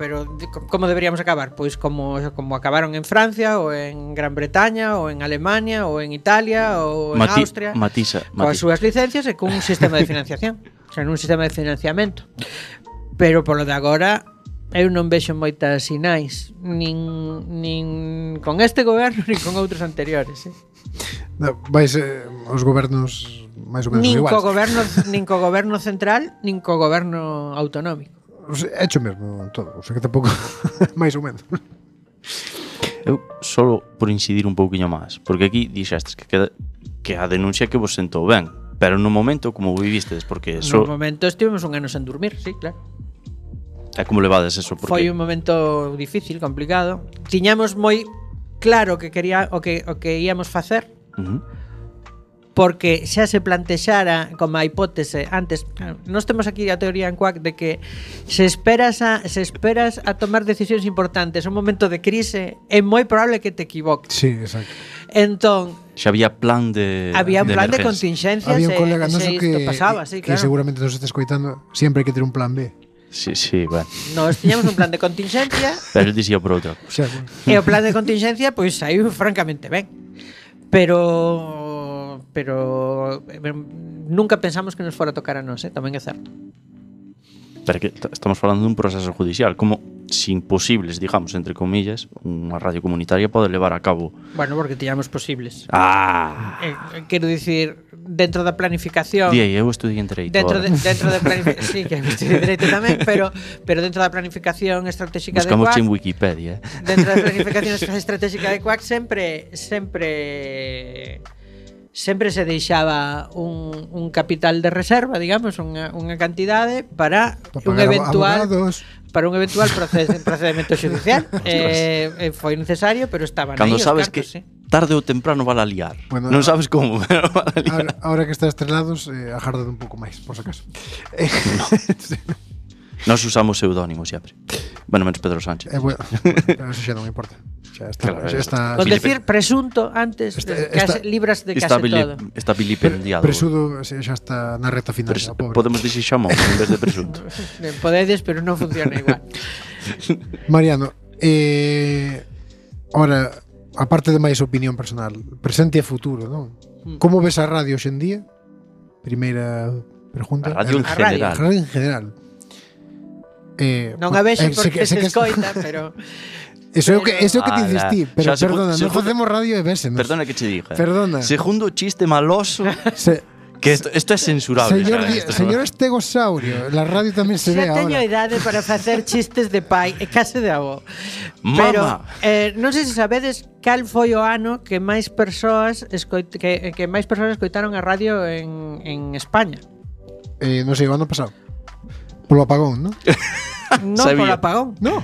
como deberíamos acabar? Pois como acabaron en Francia ou en Gran Bretaña ou en Alemania ou en Italia ou en Austria coas súas licencias e con un sistema de financiación, o sea, un sistema de financiamento. Pero polo de agora eu non vexo moitas sinais nin con este goberno nin con outros anteriores, Vais os gobernos máis ou menos nin iguais. nin co goberno central nin co goberno autonómico. O sea, hecho mesmo todo, o sea que tampouco máis ou menos. Eu solo por incidir un pouquiño máis, porque aquí dixestes que a denuncia que vos sentou ben, pero no momento como vivistes, porque No momento estivemos un ano sen dormir, sí, claro. É como levades eso, porque Foi un momento difícil, complicado. Tiñamos moi claro que quería o que íamos facer. porque xa se plantexara como a hipótese antes. Nós temos aquí a teoría en Quack de que se esperas a tomar decisións importantes un momento de crise, é moi probable que te equivoques. Sí, exacto. Entón, Xa había plan de había un plan de emergencia. contingencia. Había un colega se noso isto pasaba, sí, que claro. seguramente nos está escoitando, sempre hai que ter un plan B. Sí, bueno. Nós tiñamos un plan de contingencia Pero el dicía por outra. Xa, bueno. e o plan de contingencia pois saiu francamente ben. Pero nunca pensamos que nos fora a tocar a nós, tamén é certo. Pero que estamos falando dun proceso judicial, como sin posibles, digamos, entre comillas, unha radio comunitaria pode levar a cabo. Bueno, porque tiñamos posibles. Quero dicir, dentro da planificación. Día, eu estudiei en Dereito. Dentro de planificación, sí, que estudiei Dereito tamén, pero dentro da planificación estratégica de Buscamos Quack. en Wikipedia. Dentro da planificación estratégica de Quack sempre se deixaba un capital de reserva, digamos, unha cantidade para un eventual procedimento judicial. Foi necesario, pero estaban Cando aí os sabes cartos, que sí. tarde ou temprano va a liar. Bueno, Non sabes como, pero va a liar. Ahora que está estrelados, agardad un pouco máis, por si acaso. Nós usamos pseudónimos sempre. Bueno, menos Pedro Sánchez. Bueno, pero eso xa non me importa. Xa está, Claro, xa está. Con decir presunto antes, libras de case todo. Está vilipendiado. Presudo xa está na recta final, pobre. Podemos dicir xamón en vez de presunto. Podedes, pero non funciona igual. Mariano, ora, aparte de máis opinión personal, presente e futuro, non? Como ves a radio hoxendía? Primeira pregunta. A radio en A general. radio en general. Non a vexo porque se escoita, pero Eso é o que te insistí, pero xa, perdona, non facemos radio e vese. Perdona que che diga. Perdona. Segundo chiste maloso, que esto es censurable. Señor Estegosaurio, la radio tamén se ve xa teño ahora. idade para facer chistes de pai e case de avó. Pero non sei se sabedes cal foi o ano que máis persoas escoitaron a radio en España. Non sei, o ano pasado. Polo apagón, non? Non polo apagón. No.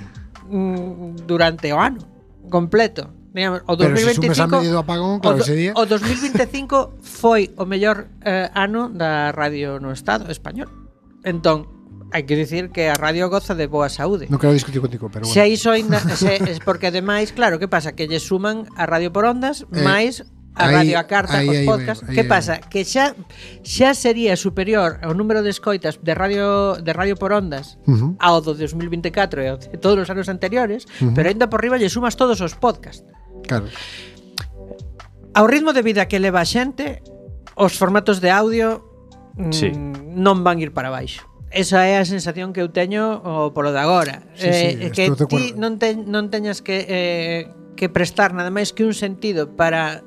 Durante o ano completo. Digamos, o 2025, pero se sumes a medio do apagón, claro, ese día. O 2025 foi o mellor ano da radio no Estado español. Entón, hai que dicir que a radio goza de boa saúde. Non quero discutir contigo, pero bueno. Se iso ainda es porque ademais, claro, que pasa? Que lle suman a radio por ondas máis a radio a carta, os podcast. Que pasa? Que xa sería superior ao número de escoitas de radio por ondas ao do 2024 e ao de todos os anos anteriores, pero ainda por riba lle sumas todos os podcast. Claro. Ao ritmo de vida que leva a xente, os formatos de audio non van ir para baixo. Esa é a sensación que eu teño polo de agora. Que ti non teñas que prestar nada máis que un sentido para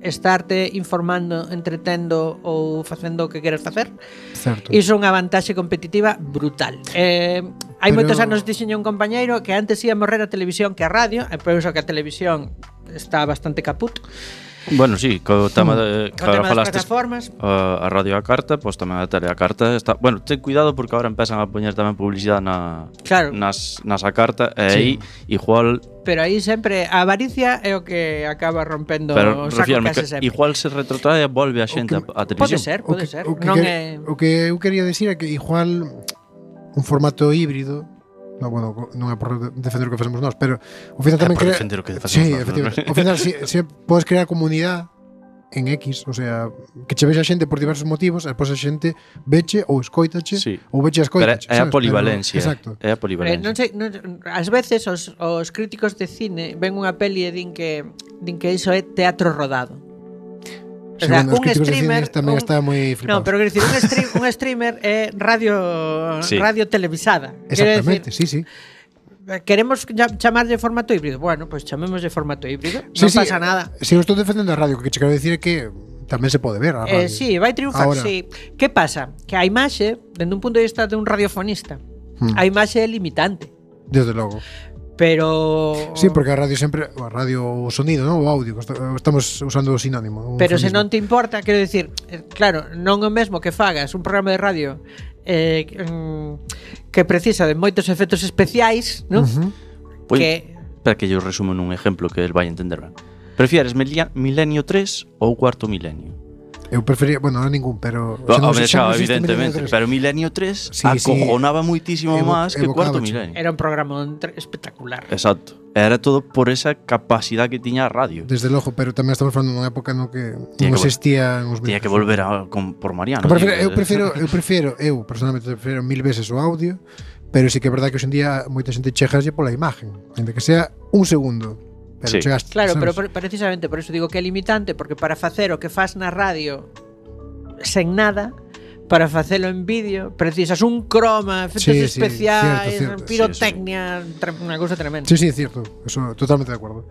estarte informando, entretendo ou facendo o que queres facer. Certo. Iso é unha vantaxe competitiva brutal. Hai moitos anos dixenlle un compañeiro que antes ia morrer a televisión que a radio, e penso que a televisión está bastante caput. Bueno, sí, co tema de das plataformas, a radio a carta, pois tamén a tele a carta está, bueno, ten cuidado porque agora empezan a poñer tamén publicidade nas a carta e aí igual. Pero aí sempre a avaricia é o que acaba rompendo o saco case sempre. Igual se retrotrae e volve a xente a televisión. Pode ser. O que eu quería decir é que igual un formato híbrido. No, bueno, non é por defender o que facemos nós, pero ao final tamén crea defender o que facemos nós. Efectivamente. Ao final se podes crear comunidade en X, o sea, que che vexa xente por diversos motivos, e depois a xente veche ou escoitache, ou veche a escoitache. É a polivalencia. Exacto. É a polivalencia. Non sei, ás veces os críticos de cine ven unha peli e din que iso é teatro rodado. O sea, un streamer tamén está moi flipado. No, pero quero dicir, un streamer é radio televisada. Exactamente, sí. Queremos chamarlle formato híbrido. Bueno, pues chamémoslle formato híbrido. Non pasa nada. Si eu estou defendendo a radio, o que che quero dicir é que tamén se pode ver a radio. Sí, vai triunfar, sí. Que pasa? Que a imaxe, dende un punto de vista de un radiofonista, a imaxe é limitante. Desde logo. Pero sí, porque a radio sempre, a radio o sonido, non? O audio, estamos usando o sinónimo. Pero se non te importa, quero dicir, claro, non é o mesmo que fagas un programa de radio que precisa de moitos efectos especiais, non? Para que yo resumo nun exemplo que el vai entender ben. Prefieres Milenio 3 ou Cuarto Milenio? Eu prefería, bueno, ahora ningún, pero evidentemente, pero Milenio 3 acojonaba moitísimo máis que Cuarto Milenio. Era un programa espectacular. Exacto. Era todo por esa capacidade que tiña a radio. Desde logo, pero tamén estamos falando dunha época no que non existían os medios. Tiña que volver por Mariano. Eu personalmente prefiro 1000 veces o audio, pero sí que é verdade que hoxe en día moita xente chegaslle pola imagen, ainda que sea un segundo. Pero chegaste, claro, sabes? pero precisamente por eso digo que é limitante, porque para facer o que faz na radio sen nada, para facelo en vídeo precisas un croma, efectos especiais, cierto, pirotecnia, unha cousa tremenda. Sí, cierto, eso totalmente de acordo.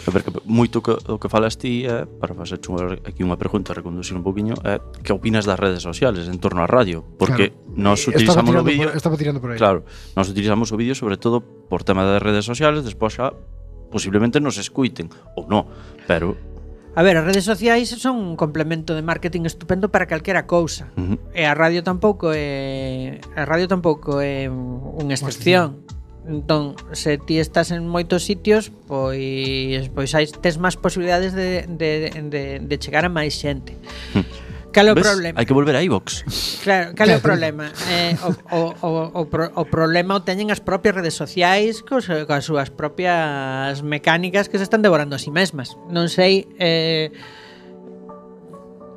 A ver, que moito o que falas ti para facer aquí unha pregunta, reconducir un poquinho, que opinas das redes sociales en torno á radio? Porque nós utilizamos o vídeo. Estaba tirando por aí. Claro, nós utilizamos o vídeo sobre todo por tema das redes sociales, despois xa posiblemente nos escuiten ou non, pero a ver, as redes sociais son un complemento de marketing estupendo para calquera cousa. E a radio tampouco é unha excepción. Entón, se ti estás en moitos sitios, pois tes máis posibilidades de chegar a máis xente. Cal é o problema? Hai que volver a iVox. Claro, cal é o problema? O problema o teñen as propias redes sociais coas súas propias mecánicas que se están devorando a si mesmas. Non sei,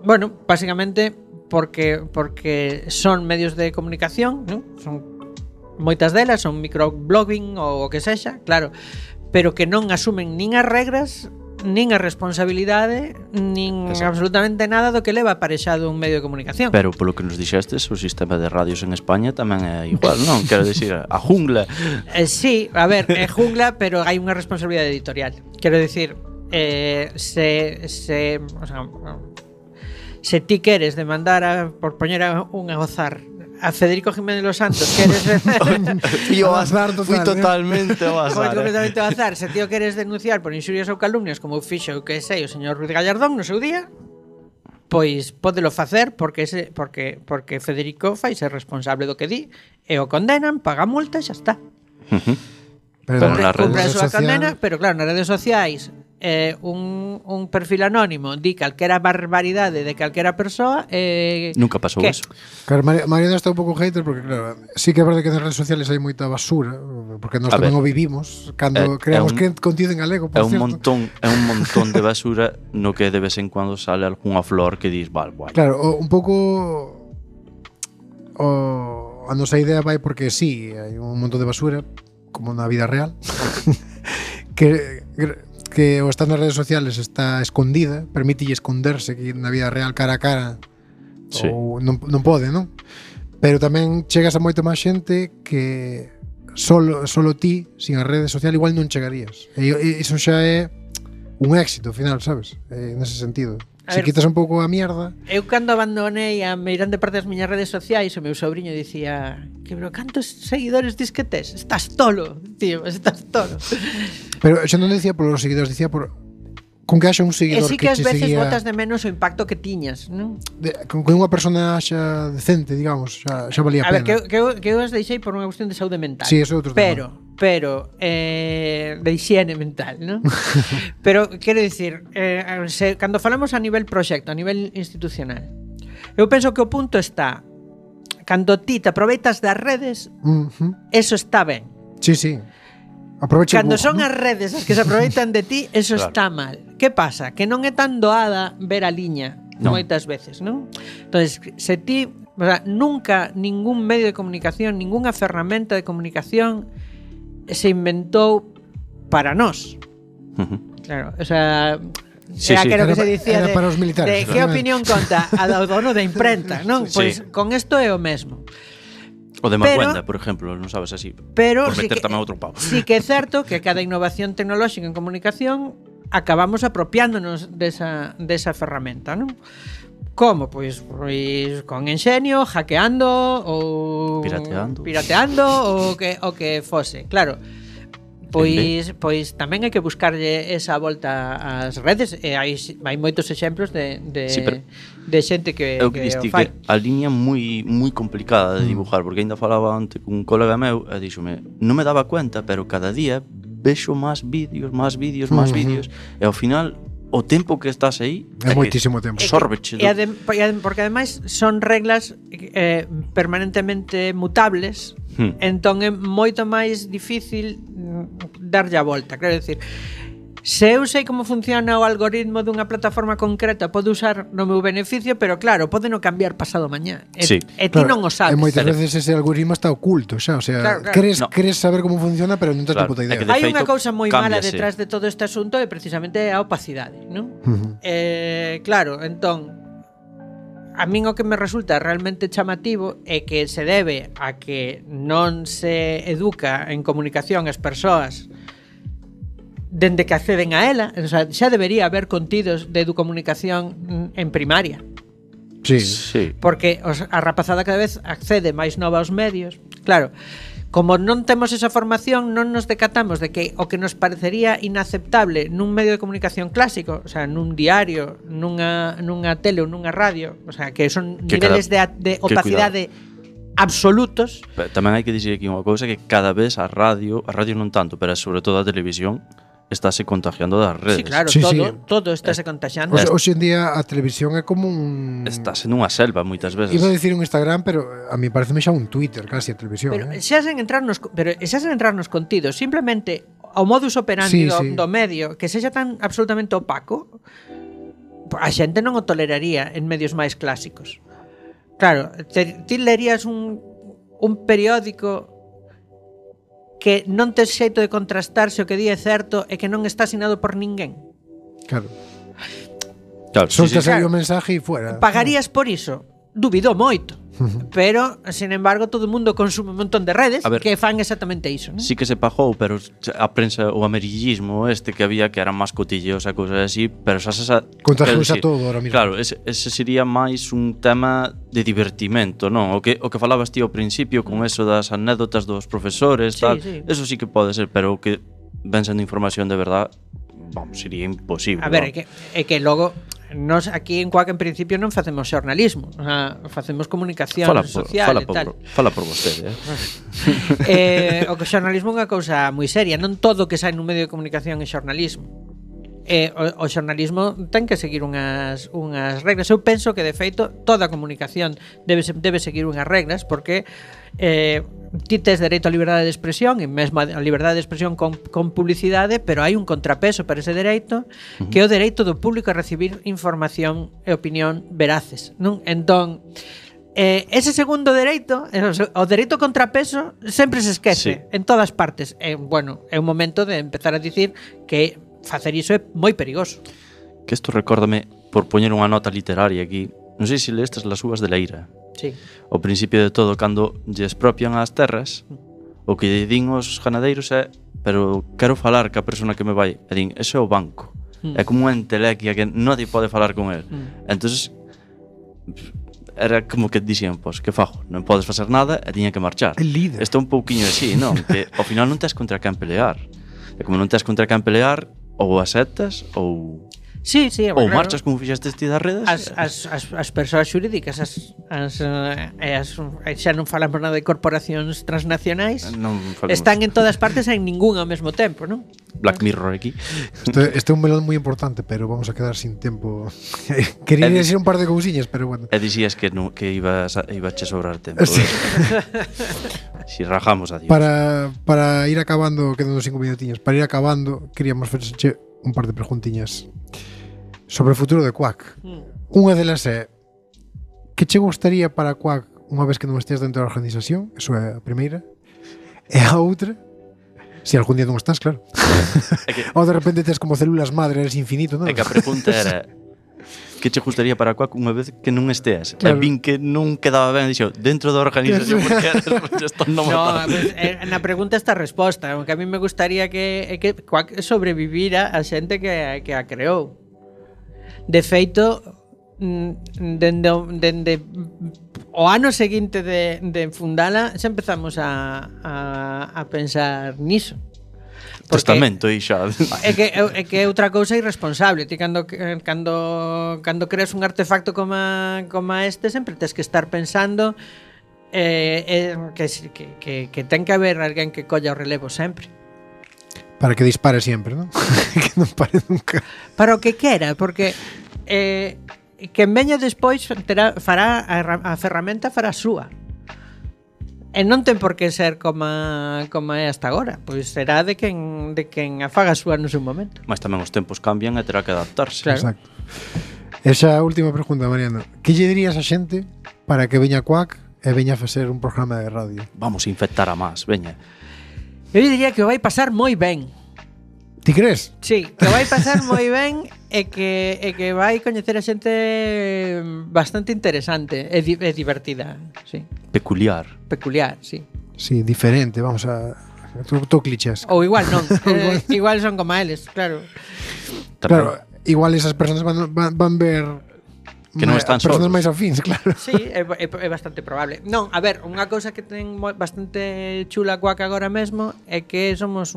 bueno, básicamente porque son medios de comunicación, ¿no? Son moitas delas, son microblogging ou o que sexa, claro, pero que non asumen nin as regras, nin a responsabilidade, nin absolutamente nada do que leva aparexado un medio de comunicación. Pero polo que nos dixestes, o sistema de radios en España tamén é igual, non? Quero dicir, a jungla. Sí, a ver, é jungla, pero hai unha responsabilidade editorial. Quero dicir, se ti queres demandar por poñer un a gozar a Federico Jiménez Los Santos, queres o azar total, fui totalmente ao azar. Completamente ao azar. Se ti o queres denunciar por inxurias ou calumnias, como fixo que sei o señor Ruiz Gallardón no seu día, pois pódelo facer porque Federico fai ser responsable do que di e o condenan, paga multa e xa está. Pero nas redes sociais condena, pero claro, nas redes sociais un perfil anónimo di calquera barbaridade de calquera persoa nunca pasou eso. Claro, Mariano está un pouco hater porque claro, sí que é verdade que nas redes sociales hai moita basura, porque nós tamén o vivimos cando creamos contido en galego, por certo. É un montón de basura no que de vez en cuando sale algunha flor que dis, vale. Claro, un pouco a nosa idea vai porque sí, hai un montón de basura como na vida real que o estar nas redes sociales está escondida, permítelle esconderse que na vida real cara a cara ou non pode, non? Pero tamén chegas a moita máis xente que solo ti, sin a rede social, igual non chegarías. E iso xa é un éxito, ao final, sabes? Nese sentido. Se quitas un pouco a mierda. Eu cando abandonei a meirande parte das miñas redes sociais, o meu sobrinho dicía que, pero cantos seguidores dis que tes? Estás tolo, tío, estás tolo. Pero xa non dicía por os seguidores, dicía por con que haxa un seguidor que ás veces botas de menos o impacto que tiñas, non? Con que unha persona xa decente, digamos, xa valía a pena. A ver, que eu as deixei por unha cuestión de saúde mental. Sí, eso é outro tema. Pero de higiene mental, ¿no? Pero quero dicir, cando falamos a nivel proxecto, a nivel institucional, eu penso que o punto está cando ti te aproveitas das redes, eso está ben. Sí. Cando son as redes as que se aproveitan de ti, eso está mal. Que pasa? Que non é tan doada ver a liña moitas veces, non? Entonces, se ti, o sea, nunca ningún medio de comunicación, ningunha ferramenta de comunicación se inventou para nós. Claro, o sea, era que se dicía era para os militares. De que opinión conta a do dono da imprenta, non? Pois con isto é o mesmo. O de Marguenda, por exemplo, non sabes así. Pero por meter tamén outro pavo. Sí que é certo que cada innovación tecnolóxica en comunicación acabamos apropiándonos desa ferramenta, non? Como? Pois con enxenio, hackeando ou pirateando ou que fose. Claro. Pois tamén hai que buscarlle esa volta ás redes e hai moitos exemplos de xente que o fai. Que a liña moi complicada de dibujar, porque ainda falaba antes cun colega meu e díxome, non me daba cuenta, pero cada día vexo máis vídeos e ao final o tempo que estás aí É moitísimo tempo. Sórbeche Porque ademais son reglas permanentemente mutables, entón é moito máis difícil darlle a volta. Quero decir, se eu sei como funciona o algoritmo dunha plataforma concreta, podo usar no meu beneficio, pero claro, pode non cambiar pasado mañá. Sí. E ti non o sabes. E moitas veces ese algoritmo está oculto xa, o sea, Claro. Queres saber como funciona, pero non tens Claro, puta é que idea. de Hai unha feito, cousa moi mala cámbiase. detrás de todo este asunto e precisamente a opacidade, non? Claro, entón a min o que me resulta realmente chamativo é que se debe a que non se educa en comunicación as persoas dende que acceden a ela, o sea, xa debería haber contidos de educomunicación en primaria. Sí. Sí. Porque a rapazada cada vez accede máis nova aos medios. Claro, como non temos esa formación, non nos decatamos de que o que nos parecería inaceptable nun medio de comunicación clásico, o sea, nun diario, nunha tele ou nunha radio, o sea, que son Que niveles de opacidade absolutos. Pero tamén hai que dicir aquí unha cousa, que cada vez a radio non tanto, pero sobre todo a televisión, estáse contagiando das redes. Sí, claro, Sí, todo estáse contagiando. Hoxe en día a televisión é como un... Estás en unha selva moitas veces. Iba a dicir un Instagram, pero a mí pareceme xa un Twitter casi a televisión. Pero xa sen entrar nos contidos, simplemente o modus operandi do medio que sexa tan absolutamente opaco, a xente non o toleraría en medios máis clásicos. Claro, ti lerías un periódico que non tes xeito de contrastar se o que di é certo e que non está asinado por ninguén. Claro. Claro, Soltas aí claro. o mensaje e fuera. Pagarías por iso? Dubido moito. Pero, sin embargo, todo o mundo consume un montón de redes ver, que fan exactamente iso, non? Sí que se pagou, pero a prensa, o amarillismo que había, que eran máis cotilleos e cousas así, pero xa se... Contagiouse a todo ahora mismo. Claro, ese sería máis un tema de divertimento, non? O que falabas ti ao principio con eso das anécdotas dos profesores, Sí, tal, sí. eso sí que pode ser, pero o que ven sendo información de verdad, vamos, sería imposible. A ver, é que logo nós aquí en Cuac en principio non facemos xornalismo, o sea, facemos comunicación social e tal. Fala por vostede, eh? O que xornalismo é unha cousa moi seria, non todo o que sai nun medio de comunicación é xornalismo. O xornalismo ten que seguir unhas regras. Eu penso que de feito toda a comunicación debe seguir unhas regras, porque ti tes dereito á liberdade de expresión e mesmo a liberdade de expresión con publicidade, pero hai un contrapeso para ese dereito, que é o dereito do público a recibir información e opinión veraces, non? Entón, ese segundo dereito, o dereito contrapeso, sempre se esquece en todas partes. Bueno, é un momento de empezar a dicir que facer iso é moi perigoso. Que isto recórdame, por poñer unha nota literaria aquí, non sei se lestes Las uvas de la ira. Sí. O principio de todo, cando lle expropian as terras, o que lle din os ganadeiros é: pero quero falar ca persona que me vai. E din, ese é o banco. É como unha entelequia que nadie pode falar con el. Entonces era como que dixían, pois, que fago? Non podes facer nada e tiña que marchar. El líder. Isto é un pouquiño así, non? Que ao final non tes contra quen pelear. E como non tes contra quen pelear, ou aceptas ou Sí, ou claro. marchas como fixaste ti das redes. As persoas xurídicas xa non falamos nada de corporacións transnacionais, Non falemos. están en todas partes e en ninguna ao mesmo tempo, non? Black Mirror aquí. Este é un melón moi importante, pero vamos a quedar sin tempo. Quería decir un par de cousiñas, pero bueno. E dixías que iba a sobrar tempo. Sí. Si rajamos a Dios. Para ir acabando, quedan 5 minutiños. Para ir acabando, queríamos facerche un par de preguntiñas sobre o futuro de Quack. Unha delas é: que che gustaría para Quack unha vez que non estés dentro da organización? Eso é a primeira. E a outra, se algún día non estás, claro. Ou de repente tes como células madre, eres infinito, non? É que a pregunta era: que che gustaría para Quack unha vez que non esteas? Claro. E vin que non quedaba ben, dixo, dentro da organización, porque isto non No, mata. pues, na pregunta está a resposta. Aunque a mí me gustaría que Quack sobrevivira a xente que a creou. De feito, dende o ano seguinte de fundala, xa empezamos a pensar niso. Testamento aí xa. É que é outra cousa irresponsable. Ti cando creas un artefacto como este, sempre tes que estar pensando que ten que haber alguén que colla o relevo sempre. Para que dispare sempre, ¿no? Que non pare nunca. Para o que quera, porque quen veña despois fará a ferramenta fará súa. E non ten por que ser como é hasta agora. Pois será de quen a faga súa no seu momento. Mas tamén os tempos cambian e terá que adaptarse. Claro. Exacto. Esa última pregunta, Mariano. Que lle dirías a xente para que veña Quack e veña a facer un programa de radio? Vamos a infectar a más, veña. Eu diría que o vai pasar moi ben. Ti crees? Sí, que vai pasar moi ben e que vai coñecer a xente bastante interesante e divertida, sí. Peculiar. Peculiar, sí. Sí, diferente, vamos a... Tú clichés. Ou igual non, igual son como eles, claro. Claro, igual esas persoas van ver que non están personas solos. máis afins, claro. Sí, é bastante probable. Non, a ver, unha cousa que ten bastante chula Quack agora mesmo é que somos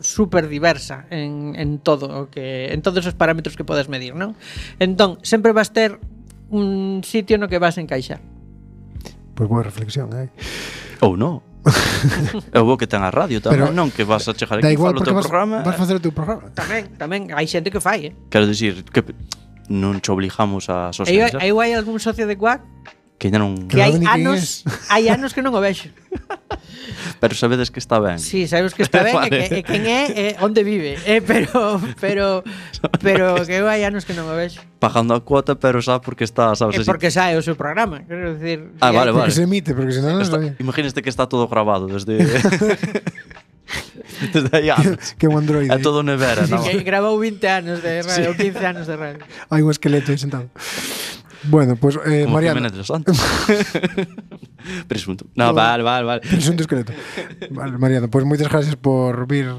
super diversa en todo o que en todos os parámetros que podes medir, non? Entón, sempre vas ter un sitio no que vas encaixar. Pois boa reflexión, Ou non. É bo que ten a radio tamén, Pero non que vas a chegar da aquí igual falo o porque teu vas programa. a facer o teu programa. Tamén hai xente que fai, Quero dicir que non che obligamos a E socializar. aí hai algún socio de Quack Que ainda non... que hai Claro, ni quen anos que non o vexo. Pero sabedes que está ben. Sí, sabes que está ben Vale. e quen é onde vive, pero que eu hai anos que non o vexo. Pagando a cuota, pero xa porque está, sabes É así. porque sae o seu programa, quero dicir. Ah, vale, Porque vale. se emite, porque senón non Está, sabía. imagínate que está todo grabado desde desde aí anos. Que un androide. É todo nevera, non? Que grabou 20 anos de radio, 15 anos de radio. Hai un esqueleto aí sentado. Bueno, pues Como Mariano, Jiménez de los Santos. Presunto. No, vale. presunto esqueleto. Vale, Mariano, pues moitas gracias por vir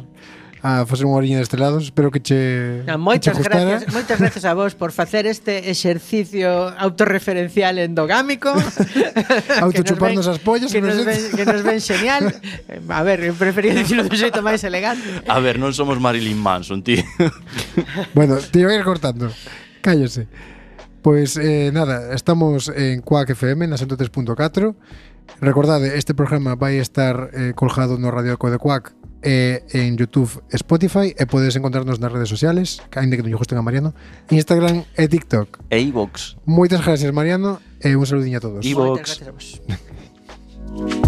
a facer unha oriña deste lado. Espero que che Moitas que che gustara. gracias a vos por facer este exercicio autorreferencial endogámico. Autochuparnos as pollas, que non nos sei. ven xeñal. A ver, eu prefería dicirlo de xeito máis elegante. A ver, non somos Marilyn Manson, tío. Bueno, te iba a ir cortando. Cállese. Pois nada, estamos en Quack FM na 103.4. Recordade, este programa vai estar colgado no Radio Eco de Quack en YouTube e Spotify e podes encontrarnos nas redes sociales, que aínda que non lle gusten a Mariano, Instagram e TikTok. E iVox. Moitas gracias, Mariano, e un saludiño a todos. Ivox. Moitas gracias a vos.